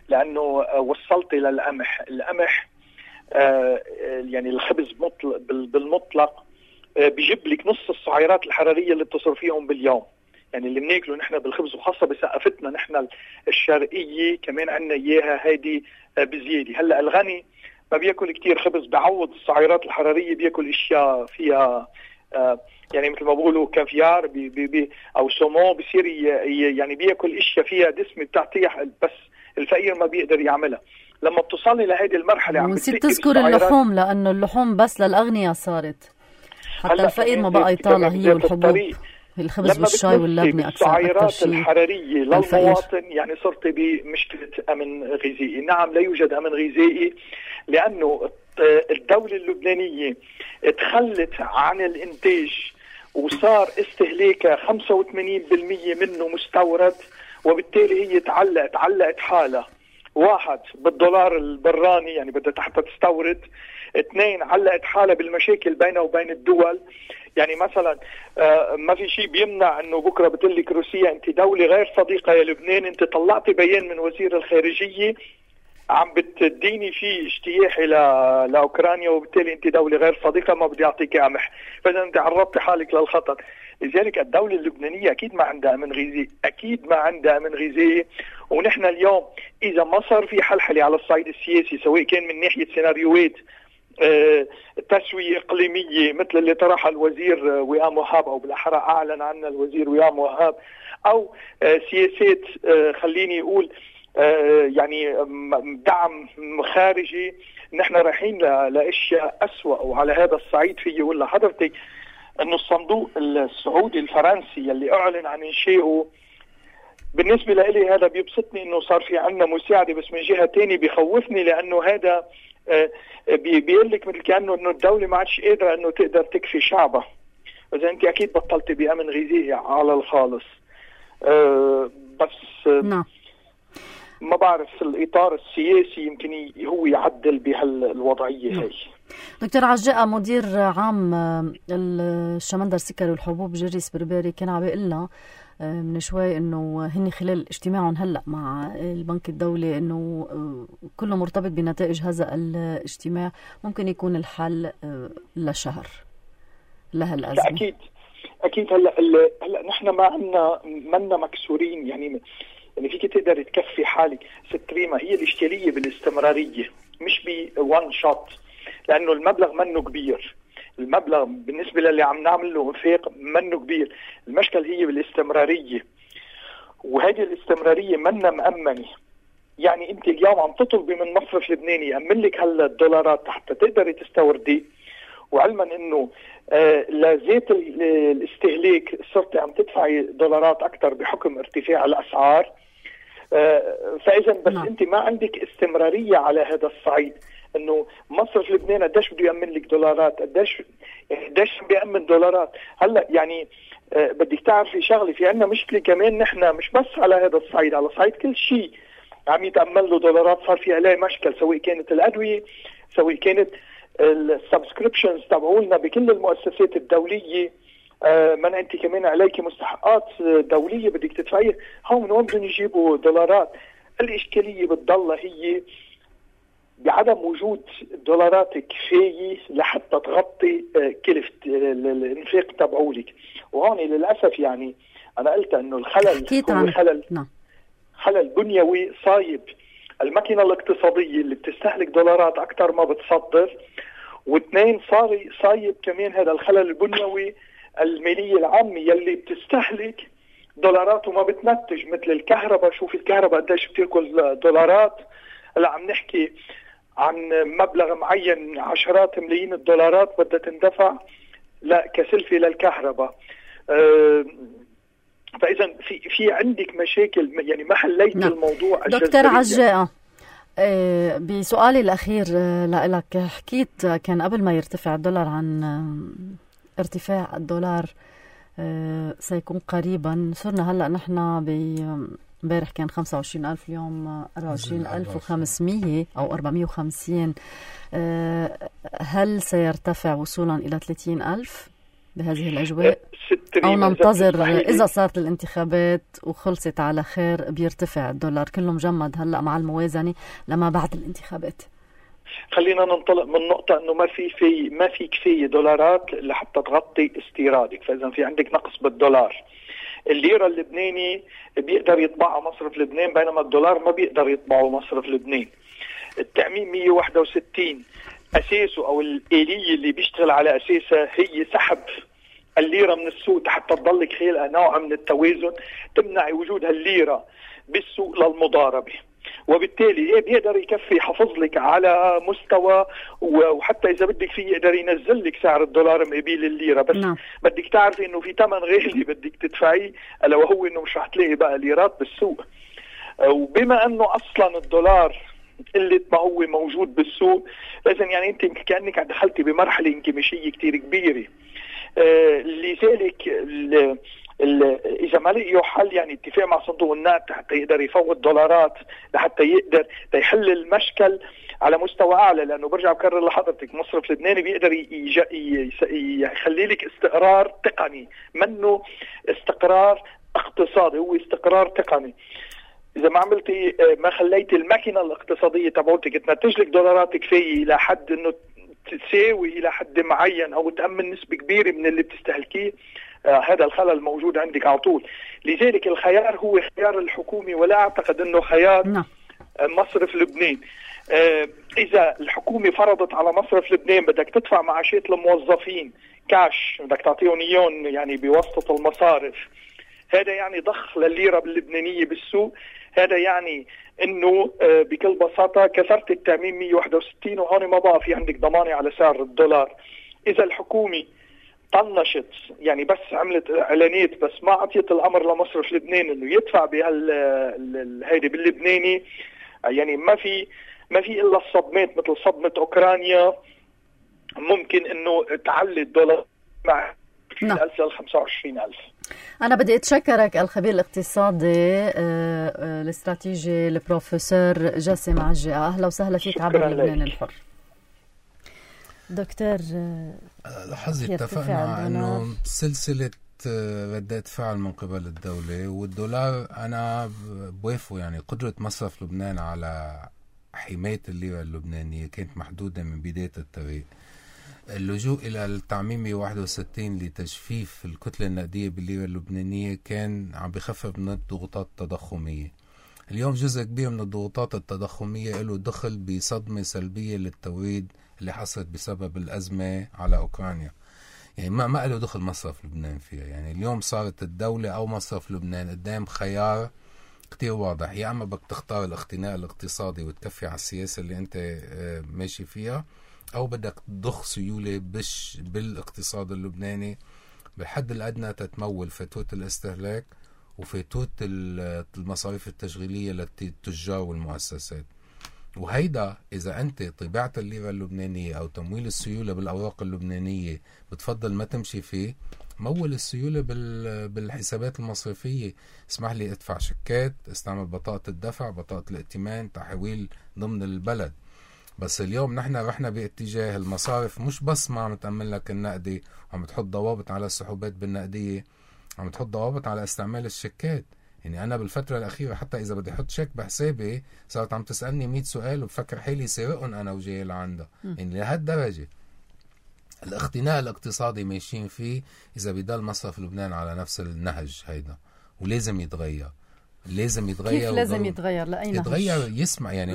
لأنه وصلت للقمح. القمح يعني الخبز بالمطلق بيجيب لك نص السعرات الحرارية اللي بتصرفيهم باليوم. يعني اللي بناكله نحن بالخبز، وخاصة بثقافتنا نحن الشرقية كمان عنا إياها هيدي بزيادة. هلأ الغني ما بياكل كتير خبز، بعوض السعرات الحرارية بياكل اشياء فيها يعني مثل ما بقولوا كافيار او سومون، بصير يعني بياكل اشياء فيها دسم بتعطيه، بس الفقير ما بيقدر يعملها. لما بتصلي لهذه المرحله عم ونسيت تذكر اللحوم، لانه اللحوم بس للاغنياء صارت، حتى الفقير ما بقى يطالع هي والحبوب، الخبز والشاي واللبنه السعرات الحراريه للمواطن. يعني صرت بمشكله امن غذائي. نعم لا يوجد امن غذائي، لانه الدولة اللبنانية تخلت عن الانتاج وصار استهلاكها 85% منه مستورد، وبالتالي هي تعلقت حالها. 1 بالدولار البراني، يعني بدها حتى تستورد. 2 علقت حالها بالمشاكل بينها وبين الدول. يعني مثلا ما في شيء بيمنع انه بكره بتقلك روسيا انت دولة غير صديقة يا لبنان، انت طلعتي بيان من وزير الخارجية عم بتديني فيه اجتياحي لاوكرانيا، وبالتالي انت دولة غير صديقة ما بدي اعطيك قمح، فاذا انت عرضتي حالك للخطر. لذلك الدولة اللبنانية اكيد ما عندها امن غذائي، ونحن اليوم اذا ما صار في حلحلة على الصعيد السياسي، سواء كان من ناحية سيناريوهات تسوية إقليمية مثل اللي طرحها الوزير وئام وهاب، أو بالأحرى أعلن عنها الوزير وئام وهاب، أو سياسات خليني أقول يعني دعم خارجي، نحن رايحين لأشياء أسوأ. وعلى هذا الصعيد في يقول لحضرتك أنه الصندوق السعودي الفرنسي اللي أعلن عن إنشائه، بالنسبة لي هذا بيبسطني أنه صار في عنا مساعدة، بس من جهة تانية بيخوفني لأنه هذا بيقول لك مثل كأنه انه الدولة ما عادش قادرة انه تقدر تكفي شعبها. اذا انت اكيد بطلتي بأمن غذائي على الخالص. بس نعم. ما بعرف الإطار السياسي يمكن هو يعدل بهالوضعية هي. دكتور عجاء، مدير عام الشمندر سكري والحبوب جريس بربري، كان عم بيقول لنا من شوي انه هن خلال اجتماعهم هلا مع البنك الدولي انه كله مرتبط بنتائج هذا الاجتماع، ممكن يكون الحل لشهر لهالازمه. اكيد هلا نحن ما عندنا مكسورين، يعني فيك تقدر تكفي حالك. ست ريما، هي الاشكاليه بالاستمراريه مش بوان شوت، لانه المبلغ منه كبير. المبلغ بالنسبة للي عم نعمل له انفاق منه كبير. المشكل هي بالاستمرارية، وهذه الاستمرارية منا مأمنة. يعني انت اليوم عم تطلبي من مصرف لبناني يأمن لك هلا الدولارات حتى تقدري تستوردي، وعلما انه لذات الاستهلاك صرت عم تدفعي دولارات اكثر بحكم ارتفاع الاسعار. فاذا بس انت ما عندك استمرارية على هذا الصعيد، انه مصرف لبنان قديش بده يأمن لك دولارات، قديش بيأمن دولارات. هلا يعني بدك تعرفي شغله، في عندنا مشكله كمان، نحن مش بس على هذا الصعيد، على صعيد كل شيء عم يتأمن له دولارات صار في عليه مشكل، سواء كانت الادويه، سواء كانت السبسكريبشنز تبعولنا بكل المؤسسات الدوليه. من انت كمان عليك مستحقات دوليه بدك تدفعيها، هون من وين بدهم يجيبوا دولارات؟ الاشكاليه بتضل هي بعدم وجود دولارات كفاية لحتى تغطي كلفة الانفاق تبعولك. وهون للأسف يعني أنا قلت أنه الخلل هو خلل بنيوي صايب. الماكينة الاقتصادية اللي بتستهلك دولارات أكثر ما بتصدر، واثنين صايب كمان هذا الخلل البنيوي المالية العامة يلي بتستهلك دولارات وما بتنتج، مثل الكهرباء. شوف الكهرباء قديش بتاكل دولارات. هلا عم نحكي عن مبلغ معين، عشرات ملايين الدولارات بدها تندفع كسلفة للكهرباء. فإذا في عندك مشاكل، يعني ما حليت الموضوع. دكتور عجاء، بسؤالي الأخير لك، حكيت كان قبل ما يرتفع الدولار عن ارتفاع الدولار سيكون قريبا. صرنا هلأ نحن امبارح كان 25,000، اليوم 24,500 أو 450. هل سيرتفع وصولا إلى 30,000 بهذه الأجواء، أو ننتظر إذا صارت الانتخابات وخلصت على خير بيرتفع الدولار كله مجمد هلأ مع الموازنة لما بعد الانتخابات؟ خلينا ننطلق من نقطة أنه ما في كفاية دولارات لحتى تغطي استيرادك، فإذا في عندك نقص بالدولار. الليرة اللبناني بيقدر يطبعها مصرف لبنان، بينما الدولار ما بيقدر يطبعه مصرف لبنان. التأمين 161 أساسه أو الآلية اللي بيشتغل على أساسها هي سحب الليرة من السوق حتى تضلك خلقها نوع من التوازن، تمنع وجود الليرة بالسوق للمضاربة، وبالتالي بيقدر يكفي يحافظ لك على مستوى، وحتى إذا بدك فيه يقدر ينزل لك سعر الدولار مقابل الليرة. بس بدك تعرفي إنه في ثمن غالي بدك تدفعيه، ألا وهو إنه مش رح تلاقي بقى ليرات بالسوق. وبما إنه أصلا الدولار قلة ما هو موجود بالسوق، لازم يعني أنت كأنك دخلتي بمرحلة انكماشية كتير كبيرة. لذلك اذا ما لقيوا حل يعني اتفاق مع صندوق النقد حتى يقدر يفوت دولارات لحتى يقدر يحل المشكل على مستوى اعلى، لانه برجع بكرر لحضرتك مصرف لبناني بيقدر يخلي لك استقرار تقني، منه استقرار اقتصادي، هو استقرار تقني. اذا ما عملتي ما خليتي الماكينه الاقتصاديه تبعتك تنتج لك دولارات كفايه الى حد انه تساوي الى حد معين او تامن نسبه كبيره من اللي بتستهلكيه، هذا الخلل موجود عندك على طول. لذلك الخيار هو خيار الحكومي، ولا اعتقد انه خيار مصرف لبنان. اذا الحكومه فرضت على مصرف لبنان بدك تدفع معاشات الموظفين كاش، بدك تعطيهم اياهم يعني بواسطه المصارف، هذا يعني ضخ للليره اللبنانيه بالسوق. هذا يعني انه بكل بساطه كسرت التامين 161 وهون ما بقى في عندك ضمانه على سعر الدولار. اذا الحكومه طنشت يعني بس عملت اعلانات بس ما عطيت الامر لمصرف لبنان انه يدفع هيدي باللبناني، يعني ما في الا الصدمات مثل صدمه اوكرانيا ممكن انه تعلي الدولار مع 10,000 ل 25,000. أنا بدي أتشكرك الخبير الاقتصادي الاستراتيجي البروفيسور جاسم عجي. أهلا وسهلا فيك عبر لبنان الحر. دكتور، لحظة اتفقنا على أنه سلسلة ردات فعل من قبل الدولة والدولار. أنا بوافق يعني قدرة مصرف لبنان على حماية الليرة اللبنانية كانت محدودة من بداية الطريق. اللجوء إلى التعميم 161 لتجفيف الكتلة النقدية بالليرة اللبنانية كان عم بخفف من الضغوطات التضخمية. اليوم جزء كبير من الضغوطات التضخمية له دخل بصدمة سلبية للتوريد اللي حصلت بسبب الأزمة على أوكرانيا. يعني ما له دخل مصرف لبنان فيها. يعني اليوم صارت الدولة أو مصرف لبنان قدام خيار كتير واضح، يا أما بدك تختار الاختناق الاقتصادي وتكفي على السياسة اللي أنت ماشي فيها، أو بدك تضخ سيولة بالاقتصاد اللبناني بالحد الأدنى تتمول فاتورة الاستهلاك وفاتورة المصاريف التشغيلية للتجار والمؤسسات. وهيدا إذا أنت طباعة الليرة اللبنانية أو تمويل السيولة بالأوراق اللبنانية بتفضل ما تمشي فيه، مول السيولة بالحسابات المصرفية. اسمح لي ادفع شيكات، استعمل بطاقة الدفع، بطاقة الائتمان، تحويل ضمن البلد. بس اليوم نحن رحنا باتجاه المصارف مش بس ما عم تأمن لك النقدي وعم تحط ضوابط على السحوبات بالنقدية، عم تحط ضوابط على استعمال الشيكات. يعني أنا بالفترة الأخيرة حتى إذا بدي أحط شيك بحسابي صارت عم تسألني 100 سؤال وبفكر حالي سارقهم أنا وجاي لعندها. يعني لهالدرجة الاختناق الاقتصادي ماشيين فيه. إذا بيضل مصرف لبنان على نفس النهج هيدا ولازم يتغير. لازم يتغير. كيف لازم يتغير؟ لأي نهج؟ يتغير يسمع يعني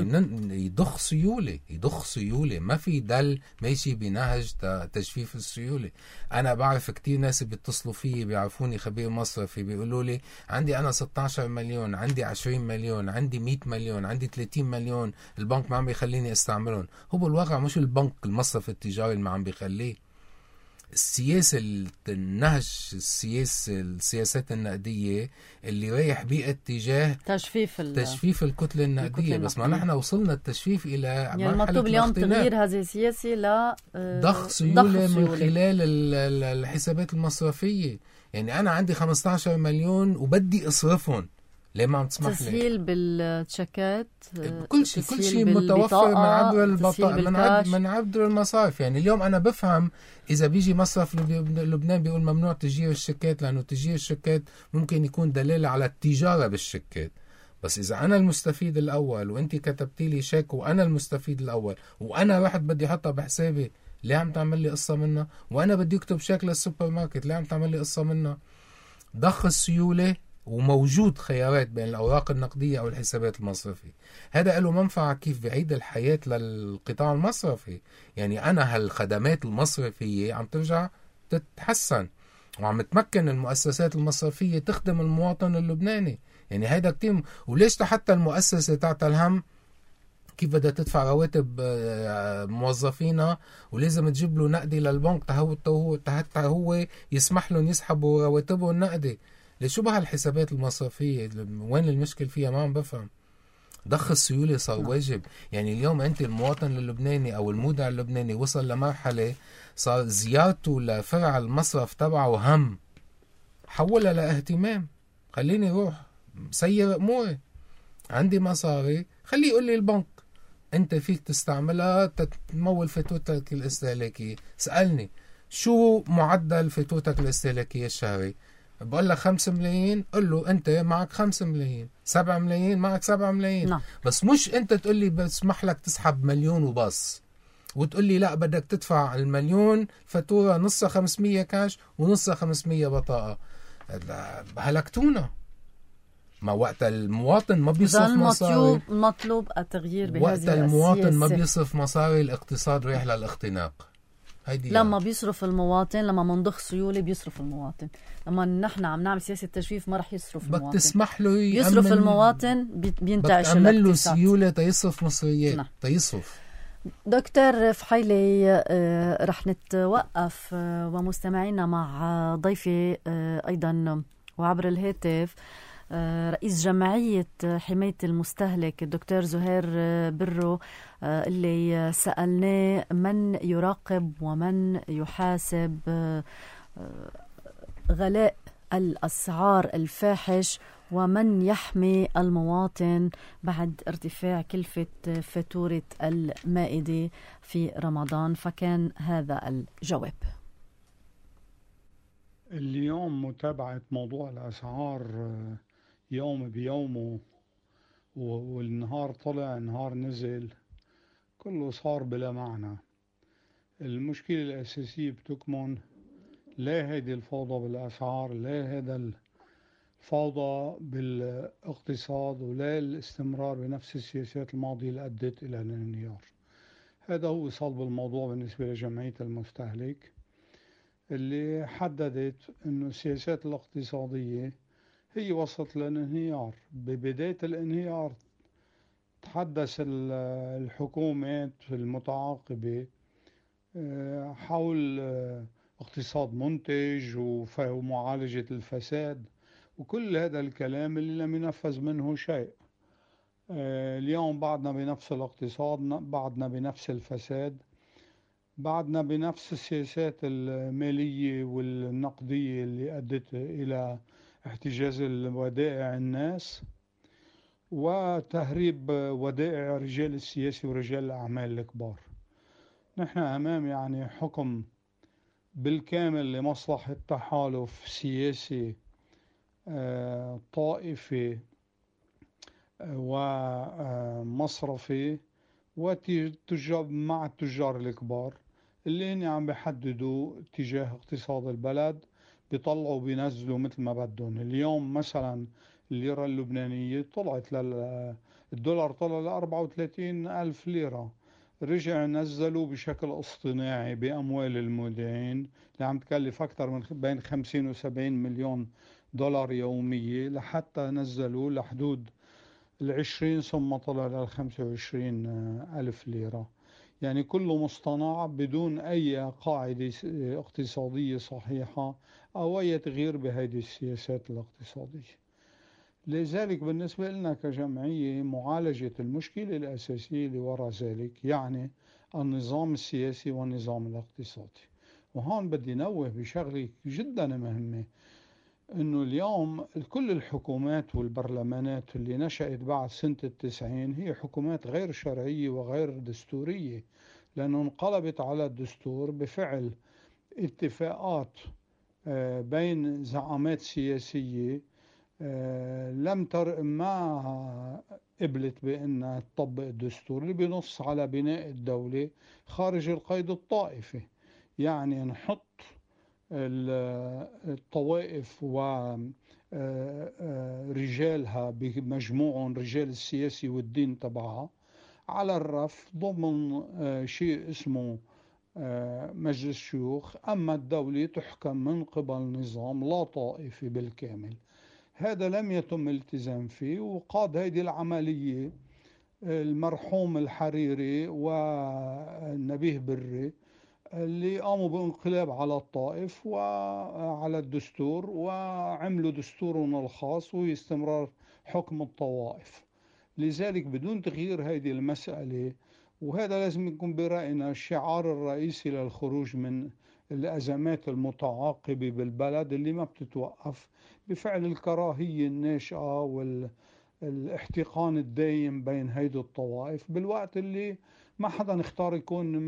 يضخ سيولة. ما في دل ماشي بنهج تجفيف السيولة. أنا بعرف كتير ناس بيتصلوا فيي بيعرفوني خبير مصرفي بيقولوا لي عندي أنا 16 مليون، عندي 20 مليون، عندي 100 مليون، عندي 30 مليون، البنك ما عم بيخليني استعملهم. هو بالواقع مش البنك المصرف التجاري اللي ما عم بيخليه. السياسة النهج السياسات النقدية اللي رايح باتجاه تجفيف الكتلة النقدية. بس ما نحن وصلنا التجفيف إلى يعني المطلوب اليوم تغيير هذه السياسة ضخ سيولة من خلال الحسابات المصرفية. يعني أنا عندي 15 مليون وبدي أصرفهم، ليه ما عم تسمح لي؟ تسهيل بالتشيكات، كل شيء متوفر من عبر البطاقة، من عبر المصارف. يعني اليوم أنا بفهم إذا بيجي مصرف لبنان بيقول ممنوع تسجيل الشيكات، لأنه تسجيل الشيكات ممكن يكون دلالة على التجارة بالشيكات. بس إذا أنا المستفيد الأول وأنت كتبتي لي شيك وأنا المستفيد الأول وأنا رحت بدي أحطها بحسابي، ليه عم تعمل لي قصة منها؟ وأنا بدي أكتب شيك للسوبر ماركت، ليه عم تعمل لي قصة منها؟ ضخ السيولة وموجود خيارات بين الأوراق النقدية أو الحسابات المصرفية. هذا له منفعة كيف بعيد الحياة للقطاع المصرفي. يعني أنا هالخدمات المصرفية عم ترجع تتحسن وعم تمكن المؤسسات المصرفية تخدم المواطن اللبناني. يعني هيدا كتير. وليش حتى المؤسسة تاعت الهم كيف بدها تدفع رواتب موظفينها ولازم تجيب له نقدي للبنك حتى هو يسمح لهم يسحبوا رواتبه النقدي. ليش شو بهالحسابات المصرفية؟ وين المشكل فيها؟ ما عم بفهم. ضخ السيولة صار واجب. يعني اليوم أنت المواطن اللبناني أو المودع اللبناني وصل لمرحلة صار زيارته لفرع المصرف تبعه هم، حولها لاهتمام. خليني روح سير أموري، عندي مصاري خليه يقول لي البنك أنت فيك تستعملها تمول فاتورتك الاستهلاكية. سألني شو معدل فاتورتك الاستهلاكية الشهري؟ بقول لك 5 ملايين، قل له أنت معك 5 ملايين، 7 ملايين معك 7 ملايين. نعم. بس مش أنت تقول لي بسمح لك تسحب مليون وبس، وتقول لي لا بدك تدفع المليون فاتورة نصها 500 كاش ونصها 500 بطاقة. هلكتونا. ما وقت المواطن ما بيصرف مصاري، المطلوب التغيير بهذه وقت المواطن السياسة. ما بيصرف مصاري الاقتصاد رايح للاختناق. لما بيصرف المواطن، لما منضخ سيولة بيصرف المواطن. لما نحن عم نعمل سياسة تجفيف ما رح يصرف المواطن. بدك تسمح له يصرف المواطن بينتعش الاقتصاد. بدك تعمل له سيولة تيصرف مصريات. تيصرف. دكتور فحيلي، رح نتوقف ومستمعينا مع ضيفي أيضا وعبر الهاتف رئيس جمعية حماية المستهلك الدكتور زهير برو، اللي سألناه من يراقب ومن يحاسب غلاء الأسعار الفاحش، ومن يحمي المواطن بعد ارتفاع كلفة فاتورة المائدة في رمضان. فكان هذا الجواب. اليوم متابعة موضوع الأسعار يوم بيومه، والنهار طلع النهار نزل، كله صار بلا معنى. المشكلة الأساسية بتكمن لا هيدي الفوضى بالأسعار، لا هذا الفوضى بالاقتصاد، ولا الاستمرار بنفس السياسات الماضية اللي أدت إلى الانهيار. هذا هو صلب الموضوع بالنسبة لجمعية المستهلك، اللي حددت أنه السياسات الاقتصادية هي وصلت للانهيار. ببداية الانهيار تحدث الحكومات المتعاقبة حول اقتصاد منتج ومعالجة الفساد وكل هذا الكلام اللي لم ينفذ منه شيء. اليوم بعدنا بنفس الاقتصاد، بعدنا بنفس الفساد، بعدنا بنفس السياسات المالية والنقدية اللي أدت إلى احتجاز الودائع الناس وتهريب ودائع رجال السياسة ورجال الأعمال الكبار. نحن أمام يعني حكم بالكامل لمصلحة تحالف سياسي طائفي ومصرفي وتجار مع التجار الكبار اللي هن عم بيحددوا اتجاه اقتصاد البلد، بيطلعوا بينزلوا مثل ما بدهم. اليوم مثلا الليرة اللبنانية طلعت الدولار طلع ل 34,000 ليرة، رجع نزلوا بشكل اصطناعي بأموال المودعين اللي عم تكلف أكثر من بين 50 و 70 مليون دولار يومية، لحتى نزلوا لحدود 20 ثم طلع ل 25,000 ليرة. يعني كله مصطنع بدون أي قاعدة اقتصادية صحيحة أو أي تغيير بهذه السياسات الاقتصادية. لذلك بالنسبة لنا كجمعية معالجة المشكلة الأساسية اللي وراء ذلك يعني النظام السياسي والنظام الاقتصادي. وهون بدي نوه بشغلة جدا مهمة، انه اليوم كل الحكومات والبرلمانات اللي نشأت بعد سنة 90 هي حكومات غير شرعية وغير دستورية، لأنه انقلبت على الدستور بفعل اتفاقات بين زعامات سياسية ما قبلت بأنها تطبق الدستور اللي بنص على بناء الدولة خارج القيد الطائفي. يعني نحط الطوائف ورجالها بمجموعهم رجال السياسي والدين تبعها على الرف ضمن شيء اسمه مجلس شيوخ، أما الدولة تحكم من قبل نظام لا طائفي بالكامل. هذا لم يتم الالتزام فيه، وقاد هذه العملية المرحوم الحريري والنبيه بري اللي قاموا بانقلاب على الطائف وعلى الدستور وعملوا دستورنا الخاص واستمرار حكم الطوائف. لذلك بدون تغيير هذه المسألة، وهذا لازم يكون برأينا الشعار الرئيسي للخروج من الأزمات المتعاقبة بالبلد اللي ما بتتوقف بفعل الكراهية الناشئة والاحتقان الدايم بين هيدي الطوائف، بالوقت اللي ما حدا اختار يكون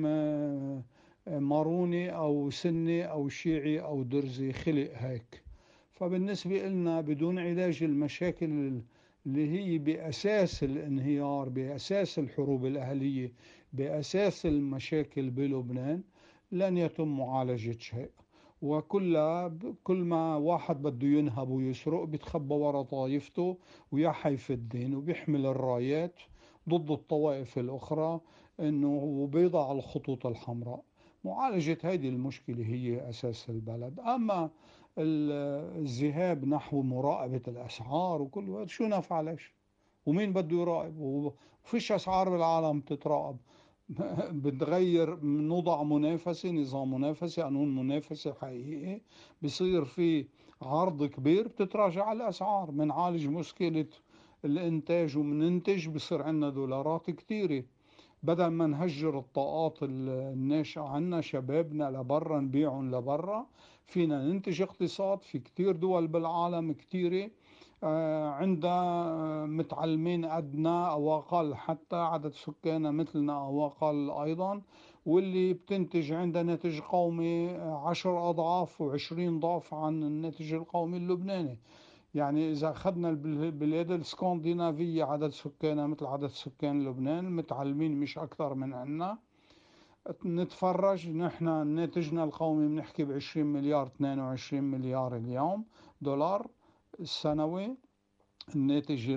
ماروني أو سني أو شيعي أو درزي، خلق هيك. فبالنسبة لنا بدون علاج المشاكل اللي هي بأساس الانهيار، بأساس الحروب الأهلية، بأساس المشاكل بلبنان، لن يتم معالجة شيء. كل ما واحد بده ينهب ويسرق بيتخبى ورا طائفته ويحي في الدين وبيحمل الرايات ضد الطوائف الأخرى وبيضع الخطوط الحمراء. معالجة هذه المشكلة هي أساس البلد. أما الذهاب نحو مراقبة الأسعار وكل هذا شو نفع ليش؟ ومين بده يراقب؟ وفيش أسعار بالعالم تتراقب. بتغير، نوضع منافسة، نظام منافسي، قانون منافسي حقيقي، بصير في عرض كبير، بتتراجع الأسعار. منعالج مشكلة الإنتاج ومننتج، بصير عنا دولارات كتيرة. بدل ما نهجر الطاقات الناشئة عنا شبابنا لبرا، نبيعهم لبرا، فينا ننتج اقتصاد. في كتير دول بالعالم كتيرة عندها متعلمين قدنا أو أقل، حتى عدد سكانها مثلنا أو أقل أيضا، واللي بتنتج عندها ناتج قومي 10 أضعاف و20 ضعف عن الناتج القومي اللبناني. يعني إذا أخذنا البلاد الاسكندنافية عدد سكانها مثل عدد سكان لبنان، متعلمين مش أكثر من عنا، نتفرج نحن ناتجنا القومي بنحكي ب20 مليار 22 مليار اليوم دولار السنوي. الناتج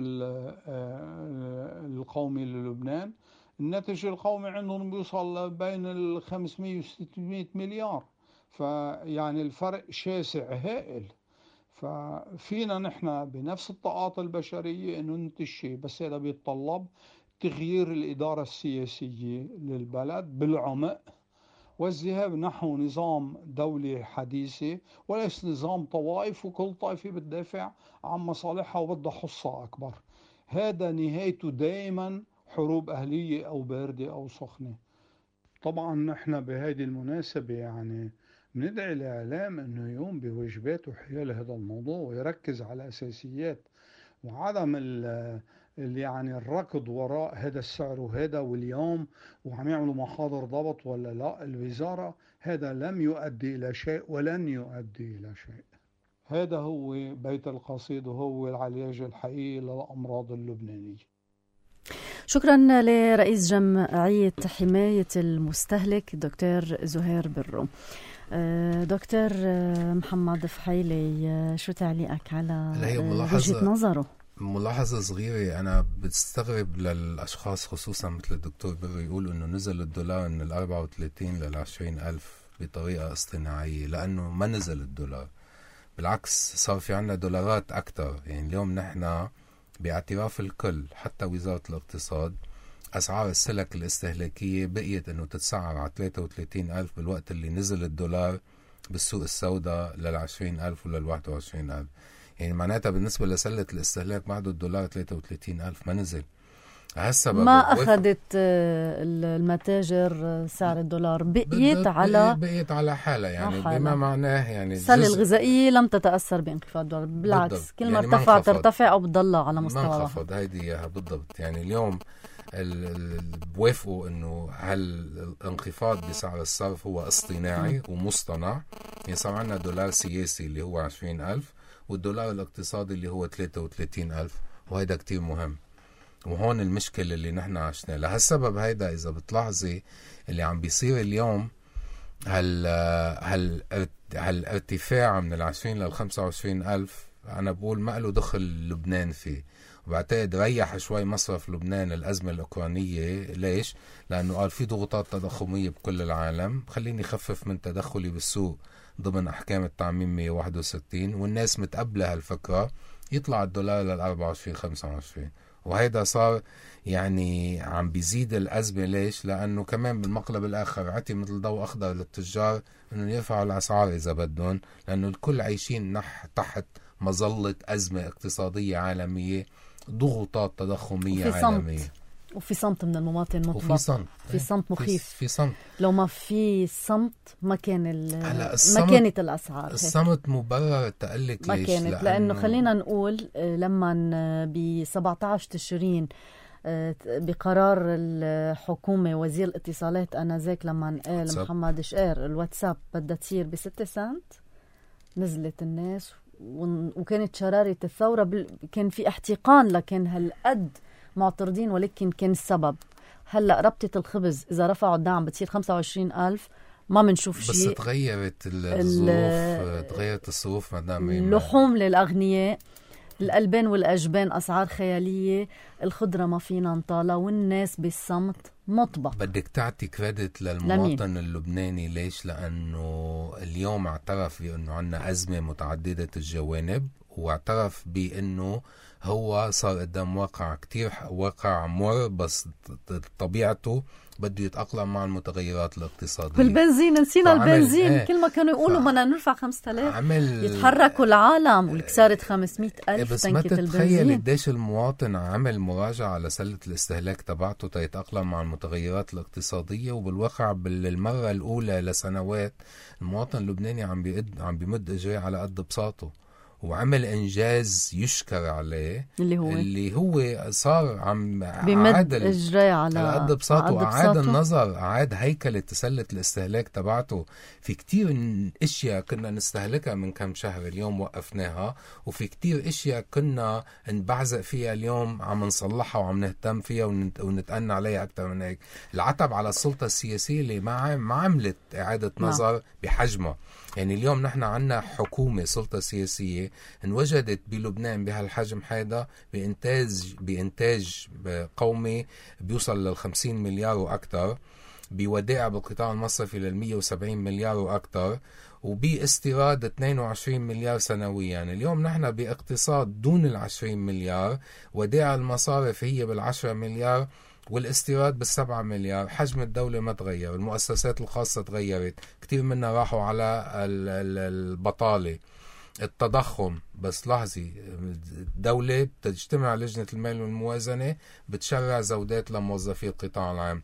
القومي للبنان، الناتج القومي عندهم بيوصل بين 500 و 600 مليار. فيعني الفرق شاسع هائل. ففينا نحن بنفس الطاقات البشرية انه ننتج شيء، بس هذا بيتطلب تغيير الإدارة السياسية للبلد بالعمق، والذهاب نحو نظام دولي حديثة، وليس نظام طوائف وكل طائفة بتدافع عن مصالحها وبدها حصة أكبر. هذا نهايته دائما حروب أهلية أو باردة أو سخنة. طبعا نحن بهذه المناسبة يعني بندعي الإعلام أنه يقوم بواجباته حيال هذا الموضوع ويركز على الأساسيات، وعدم يعني الركض وراء هذا السعر وهذا واليوم وعم يعملوا محاضر ضبط ولا لا الوزارة. هذا لم يؤدي إلى شيء ولن يؤدي إلى شيء. هذا هو بيت القصيد وهو العلاج الحقيقي للأمراض اللبنانية. شكرا لرئيس جمعية حماية المستهلك دكتور زهير برو. دكتور محمد فحيلي، شو تعليقك على وجهة نظره؟ ملاحظة صغيرة، أنا بستغرب للأشخاص خصوصا مثل الدكتور برو يقولوا أنه نزل الدولار من 34 ل 20,000 بطريقة اصطناعية، لأنه ما نزل الدولار، بالعكس صار في عنا دولارات أكتر. يعني اليوم نحن باعتراف الكل حتى وزارة الاقتصاد أسعار السلك الاستهلاكية بقيت أنه تتسعر على 33,000 بالوقت اللي نزل الدولار بالسوق السوداء لل 20,000 ولل 21,000. يعني معناتها بالنسبة لسلة الاستهلاك بعده الدولار 33,000 ما نزل. هسه ما أخذت المتاجر سعر الدولار، بقيت على حالة، يعني بما معناه يعني السلة الغذائية لم تتأثر بانخفاض الدولار، بالعكس كل ما ارتفع ترتفع أو بتضلها على مستوى ما انخفض. هيدي إياها بالضبط. يعني اليوم بوافقوا انه هالانخفاض بسعر الصرف هو اصطناعي ومصطنع. يعني صار عندنا دولار سياسي اللي هو 20,000 والدولار الاقتصادي اللي هو 33,000، وهيدا كتير مهم. وهون المشكلة اللي نحن عشنا لهالسبب. هيدا إذا بتلاحظي اللي عم بيصير اليوم هالارتفاع من 20 لل 25,000، أنا بقول ما له دخل لبنان فيه. وبعتقد ريح شوي مصرف لبنان الأزمة الأوكرانية. ليش؟ لأنه قال في ضغوطات تضخمية بكل العالم، خليني خفف من تدخلي بالسوق ضمن أحكام التعميم 161، والناس متقبلة هالفكرة، يطلع الدولار لل 24 25. وهيدا صار يعني عم بيزيد الأزمة. ليش؟ لأنه كمان بالمقلب الآخر عطي مثل ضوء أخضر للتجار أنه يرفعوا الأسعار إذا بدهم، لأنه الكل عايشين تحت مظلة أزمة اقتصادية عالمية ضغوطات تضخمية عالمية وفي صمت من المواطن مطبق. في صمت مخيف. في صمت. لو ما في صمت ما كانت الأسعار الصمت مبرر تقلك. ما ليش؟ كانت لأنه خلينا نقول لما ب 17 تشرين بقرار الحكومة وزير الاتصالات أنذاك لما قال محمد شقير الواتساب بدها تصير ب6 سنت، نزلت الناس وكانت شرارة الثورة. كان في احتقان لكن هالقد معترضين، ولكن كان السبب هلأ ربطة الخبز إذا رفعوا الدعم بتصير 25,000 ما منشوف شيء. بس تغيرت الظروف، تغيرت الظروف مدام. اللحوم للأغنياء، الألبان والأجبان أسعار خيالية، الخضرة ما فينا نطالة، والناس بالصمت مطبق. بدك تعطي كريدت للمواطن اللبناني. ليش؟ لأنه اليوم اعترف بأنه عنا أزمة متعددة الجوانب، واعترف بأنه هو صار قدام واقع مر، بس طبيعته بده يتأقلم مع المتغيرات الاقتصادية. والبنزين نسينا البنزين. كل ما كانوا يقولوا بدنا نرفع 5000 يتحركوا العالم والكسارة 500,000 بس تنكة البنزين. بس ما تتخيل قديش المواطن عمل مراجعة لسلة الاستهلاك تبعته تيتأقلم مع المتغيرات الاقتصادية. وبالواقع بالمرة الأولى لسنوات المواطن اللبناني عم بيمد إجريه على قد بساطه، وعمل إنجاز يشكر عليه اللي هو صار عم بمد إجري على قد بساطه، وأعاد النظر، أعاد هيكلة سلة الاستهلاك تبعته. في كتير اشياء كنا نستهلكها من كم شهر اليوم وقفناها، وفي كتير اشياء كنا نبعزق فيها اليوم عم نصلحها وعم نهتم فيها ونتأنى عليها أكتر من هيك. العتب على السلطة السياسية اللي ما عملت إعادة نظر بحجمها. يعني اليوم نحن عنا حكومة سلطة سياسية انوجدت بلبنان بهالحجم هذا بإنتاج قومي بيوصل لل50 مليار وأكثر، بودائع بالقطاع المصرفي لل170 مليار وأكثر، وباستيراد 22 مليار سنويا. يعني اليوم نحن باقتصاد دون ال20 مليار، ودائع المصارف هي بال10 مليار، والاستيراد بال7 مليار. حجم الدولة ما تغير، المؤسسات الخاصة تغيرت، كتير منها راحوا على البطالة، التضخم. بس لاحظي، الدولة بتجتمع لجنة المال والموازنة بتشرع زودات لموظفي القطاع العام.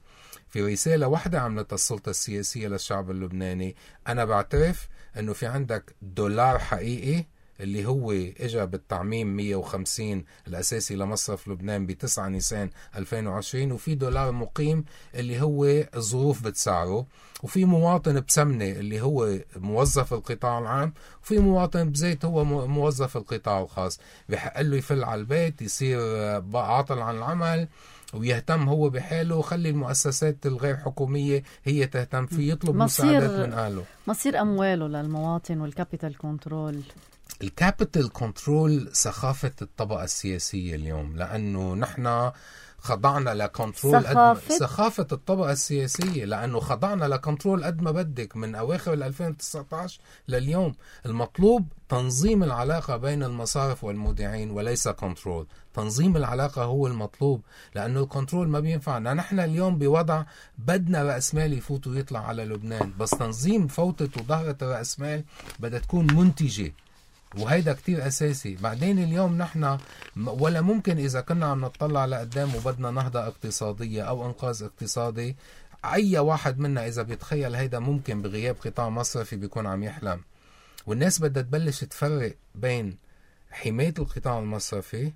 في رسالة واحدة عملتها السلطة السياسية للشعب اللبناني، أنا بعترف أنه في عندك دولار حقيقي اللي هو اجى بالتعميم 150 الأساسي لمصرف لبنان ب9 نيسان 2020، وفي دولار مقيم اللي هو الظروف بتسعره، وفي مواطن بسمنة اللي هو موظف القطاع العام، وفي مواطن بزيت هو موظف القطاع الخاص. بحق له يفل على البيت، يصير عاطل عن العمل، ويهتم هو بحاله، وخلي المؤسسات الغير حكومية هي تهتم فيه، يطلب مساعدات من أهله. مصير أمواله للمواطن والكابيتال كنترول. الكابيتال كنترول ثقافة الطبقة السياسية اليوم، لأنه نحن خضعنا لكنترول ثقافة الطبقة السياسية، لأنه خضعنا لكنترول قد ما بدك من أواخر 2019 لليوم. المطلوب تنظيم العلاقة بين المصارف والمودعين وليس كنترول. تنظيم العلاقة هو المطلوب، لأنه الكنترول ما بينفعنا. نحن اليوم بوضع بدنا رأس مال يفوت ويطلع على لبنان، بس تنظيم فوتة وظهرة الرأس مال بدها تكون منتجة، وهيدا كتير أساسي. بعدين اليوم نحن ولا ممكن إذا كنا عم نطلع لقدام وبدنا نهضة اقتصادية أو إنقاذ اقتصادي، أي واحد منا إذا بيتخيل هيدا ممكن بغياب قطاع مصرفي بيكون عم يحلم. والناس بدها تبلش تفرق بين حماية القطاع المصرفي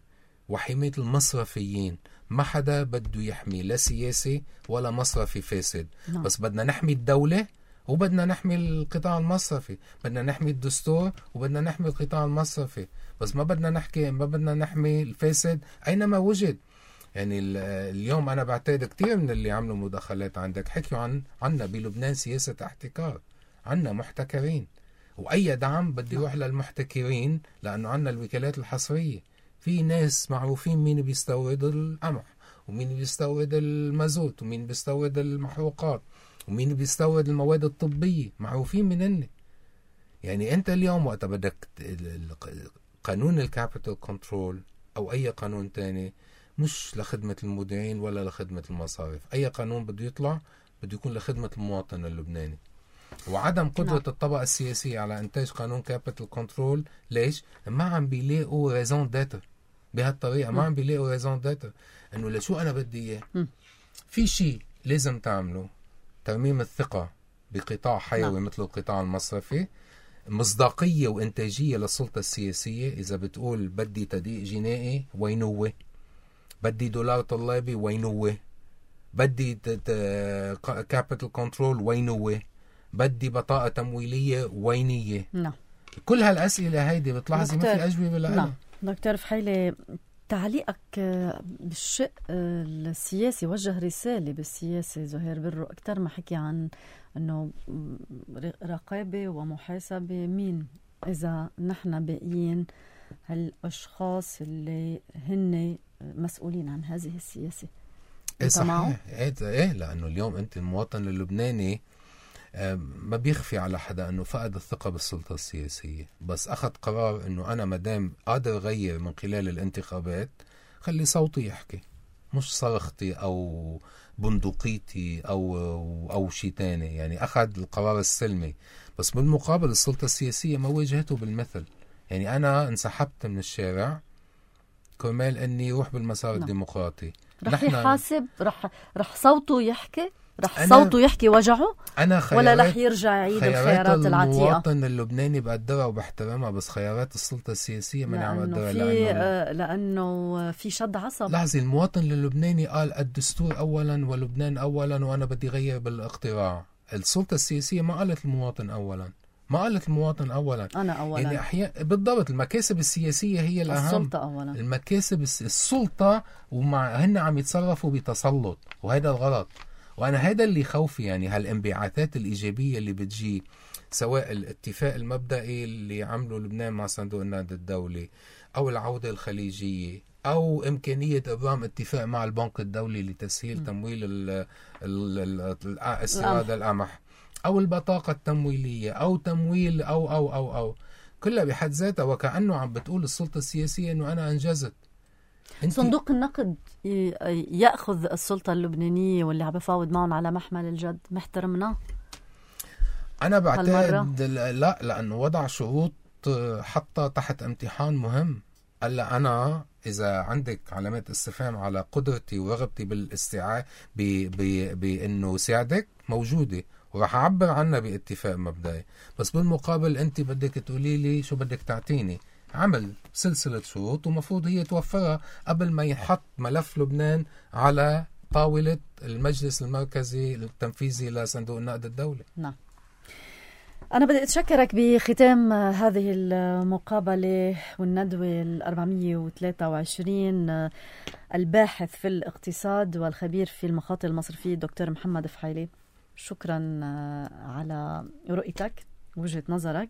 وحماية المصرفيين. ما حدا بده يحمي لا سياسي ولا مصرفي فاسد، بس بدنا نحمي الدولة وبدنا نحمي القطاع المصرفي، بدنا نحمي الدستور وبدنا نحمي القطاع المصرفي، بس ما بدنا نحمي الفاسد أينما وجد. يعني اليوم أنا بعتقد كتير من اللي عملوا مداخلات عندك حكيوا عنا بلبنان سياسة احتكار، عنا محتكرين، وأي دعم بده يروح للمحتكرين، لأنه عنا الوكالات الحصرية. في ناس معروفين مين بيستورد القمح ومين بيستورد المازوت ومين بيستورد المحروقات ومين بيستورد المواد الطبية، معروفين منهن. يعني أنت اليوم وقت بدك قانون الكابيتال كنترول أو أي قانون تاني مش لخدمة المودعين ولا لخدمة المصارف. أي قانون بده يطلع بده يكون لخدمة المواطن اللبناني. وعدم قدرة الطبقة السياسية على إنتاج قانون كابيتال كنترول، ليش؟ ما عم بيلاقوا ريزون داتر، بهالطريقة، ما عم بيلاقوا ريزون داتر انه لشو انا بدي اياه. في شيء لازم تعمله، ترميم الثقة بقطاع حيوي مثل القطاع المصرفي، مصداقية وإنتاجية للسلطة السياسية. إذا بتقول بدي تدقيق جنائي وينوه، بدي دولار طلابي وينوه، بدي كابيتال كنترول وينوه، بدي بطاقة تمويلية وينية. كل هالأسئلة هيدي بتلاحظي ما في أجوبة لها. دكتور فحيلي، تعليقك بالشق السياسي، وجه رسالة بالسياسة زهير برو أكتر ما حكي عن أنه رقابة ومحاسبة مين إذا نحن باقيين هالأشخاص اللي هن مسؤولين عن هذه السياسة. صحيح. إيه لأنه اليوم أنت المواطن اللبناني ما بيخفي على حدا أنه فقد الثقة بالسلطة السياسية، بس أخذ قرار أنه أنا مدام قادر أغير من خلال الانتخابات خلي صوتي يحكي، مش صرختي أو بندقيتي أو شيء تاني. يعني أخذ القرار السلمي، بس بالمقابل السلطة السياسية ما واجهته بالمثل. يعني أنا انسحبت من الشارع كرمال أني روح بالمسار الديمقراطي. رح يحاسب، رح صوته يحكي، رح صوته يحكي وجعه، ولا رح يرجع يعيد الخيارات العتيقة؟ المواطن اللبناني بقدرها وبحترمها، بس خيارات السلطة السياسية ماني عم أقدرها لأنه في شد عصب. لحظة، المواطن اللبناني قال الدستور أولا ولبنان أولا وأنا بدي غير بالاقتراع. السلطة السياسية ما قالت المواطن أولا، ما قالت المواطن أولا، أنا أولا. يعني بالضبط المكاسب السياسية هي الأهم، السلطة أولا. المكاسب السلطة، هن عم يتصرفوا بتسلط، وهذا الغلط. وأنا هذا اللي خوفي، يعني هالانبعاثات الإيجابية اللي بتجي، سواء الاتفاق المبدئي اللي عمله لبنان مع صندوق النقد الدولي، أو العودة الخليجية، أو إمكانية إبرام اتفاق مع البنك الدولي لتسهيل تمويل استيراد القمح، أو البطاقة التمويلية، أو تمويل أو كلها بحد ذاتها وكأنه عم بتقول السلطة السياسية إنه أنا أنجزت. صندوق النقد يأخذ السلطة اللبنانية واللي عم بفاوض معهم على محمل الجد، محترمنا؟ أنا بعتقد لا، لأنه وضع شروط حتى تحت امتحان مهم. قال أنا إذا عندك علامات استفهام على قدرتي ورغبتي بالاستيعاب بأنه ساعدك، موجودة وراح أعبر عنها باتفاق مبدئي، بس بالمقابل أنت بدك تقولي لي شو بدك تعطيني. عمل سلسلة شروط ومفروض هي توفرها قبل ما يحط ملف لبنان على طاولة المجلس المركزي التنفيذي لصندوق النقد الدولي. نعم. أنا بدي أتشكرك بختام هذه المقابلة والندوة 423 الباحث في الاقتصاد والخبير في المخاطر المصرفية الدكتور محمد فحيلي. شكرا على رؤيتك ووجهة نظرك.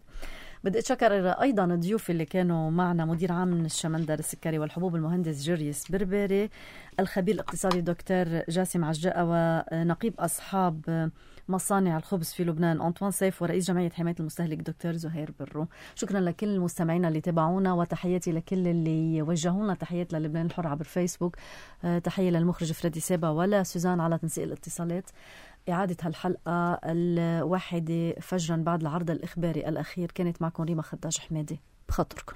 بدي أتشكر أيضا الضيوف اللي كانوا معنا، مدير عام من الشمندر السكري والحبوب المهندس جريس بربري، الخبير الاقتصادي دكتور جاسم عجاء، ونقيب أصحاب مصانع الخبز في لبنان أنطوان سيف، ورئيس جمعية حماية المستهلك دكتور زهير برو. شكرا لكل المستمعين اللي تابعونا، وتحياتي لكل اللي وجهونا تحيات للبنان الحر عبر فيسبوك. تحية للمخرج فريدي سيبا ولا سوزان على تنسيق الاتصالات. إعادة هالحلقة 1 فجرا بعد العرض الإخباري الأخير كانت معكم ريما خداج حمادي. بخاطركم.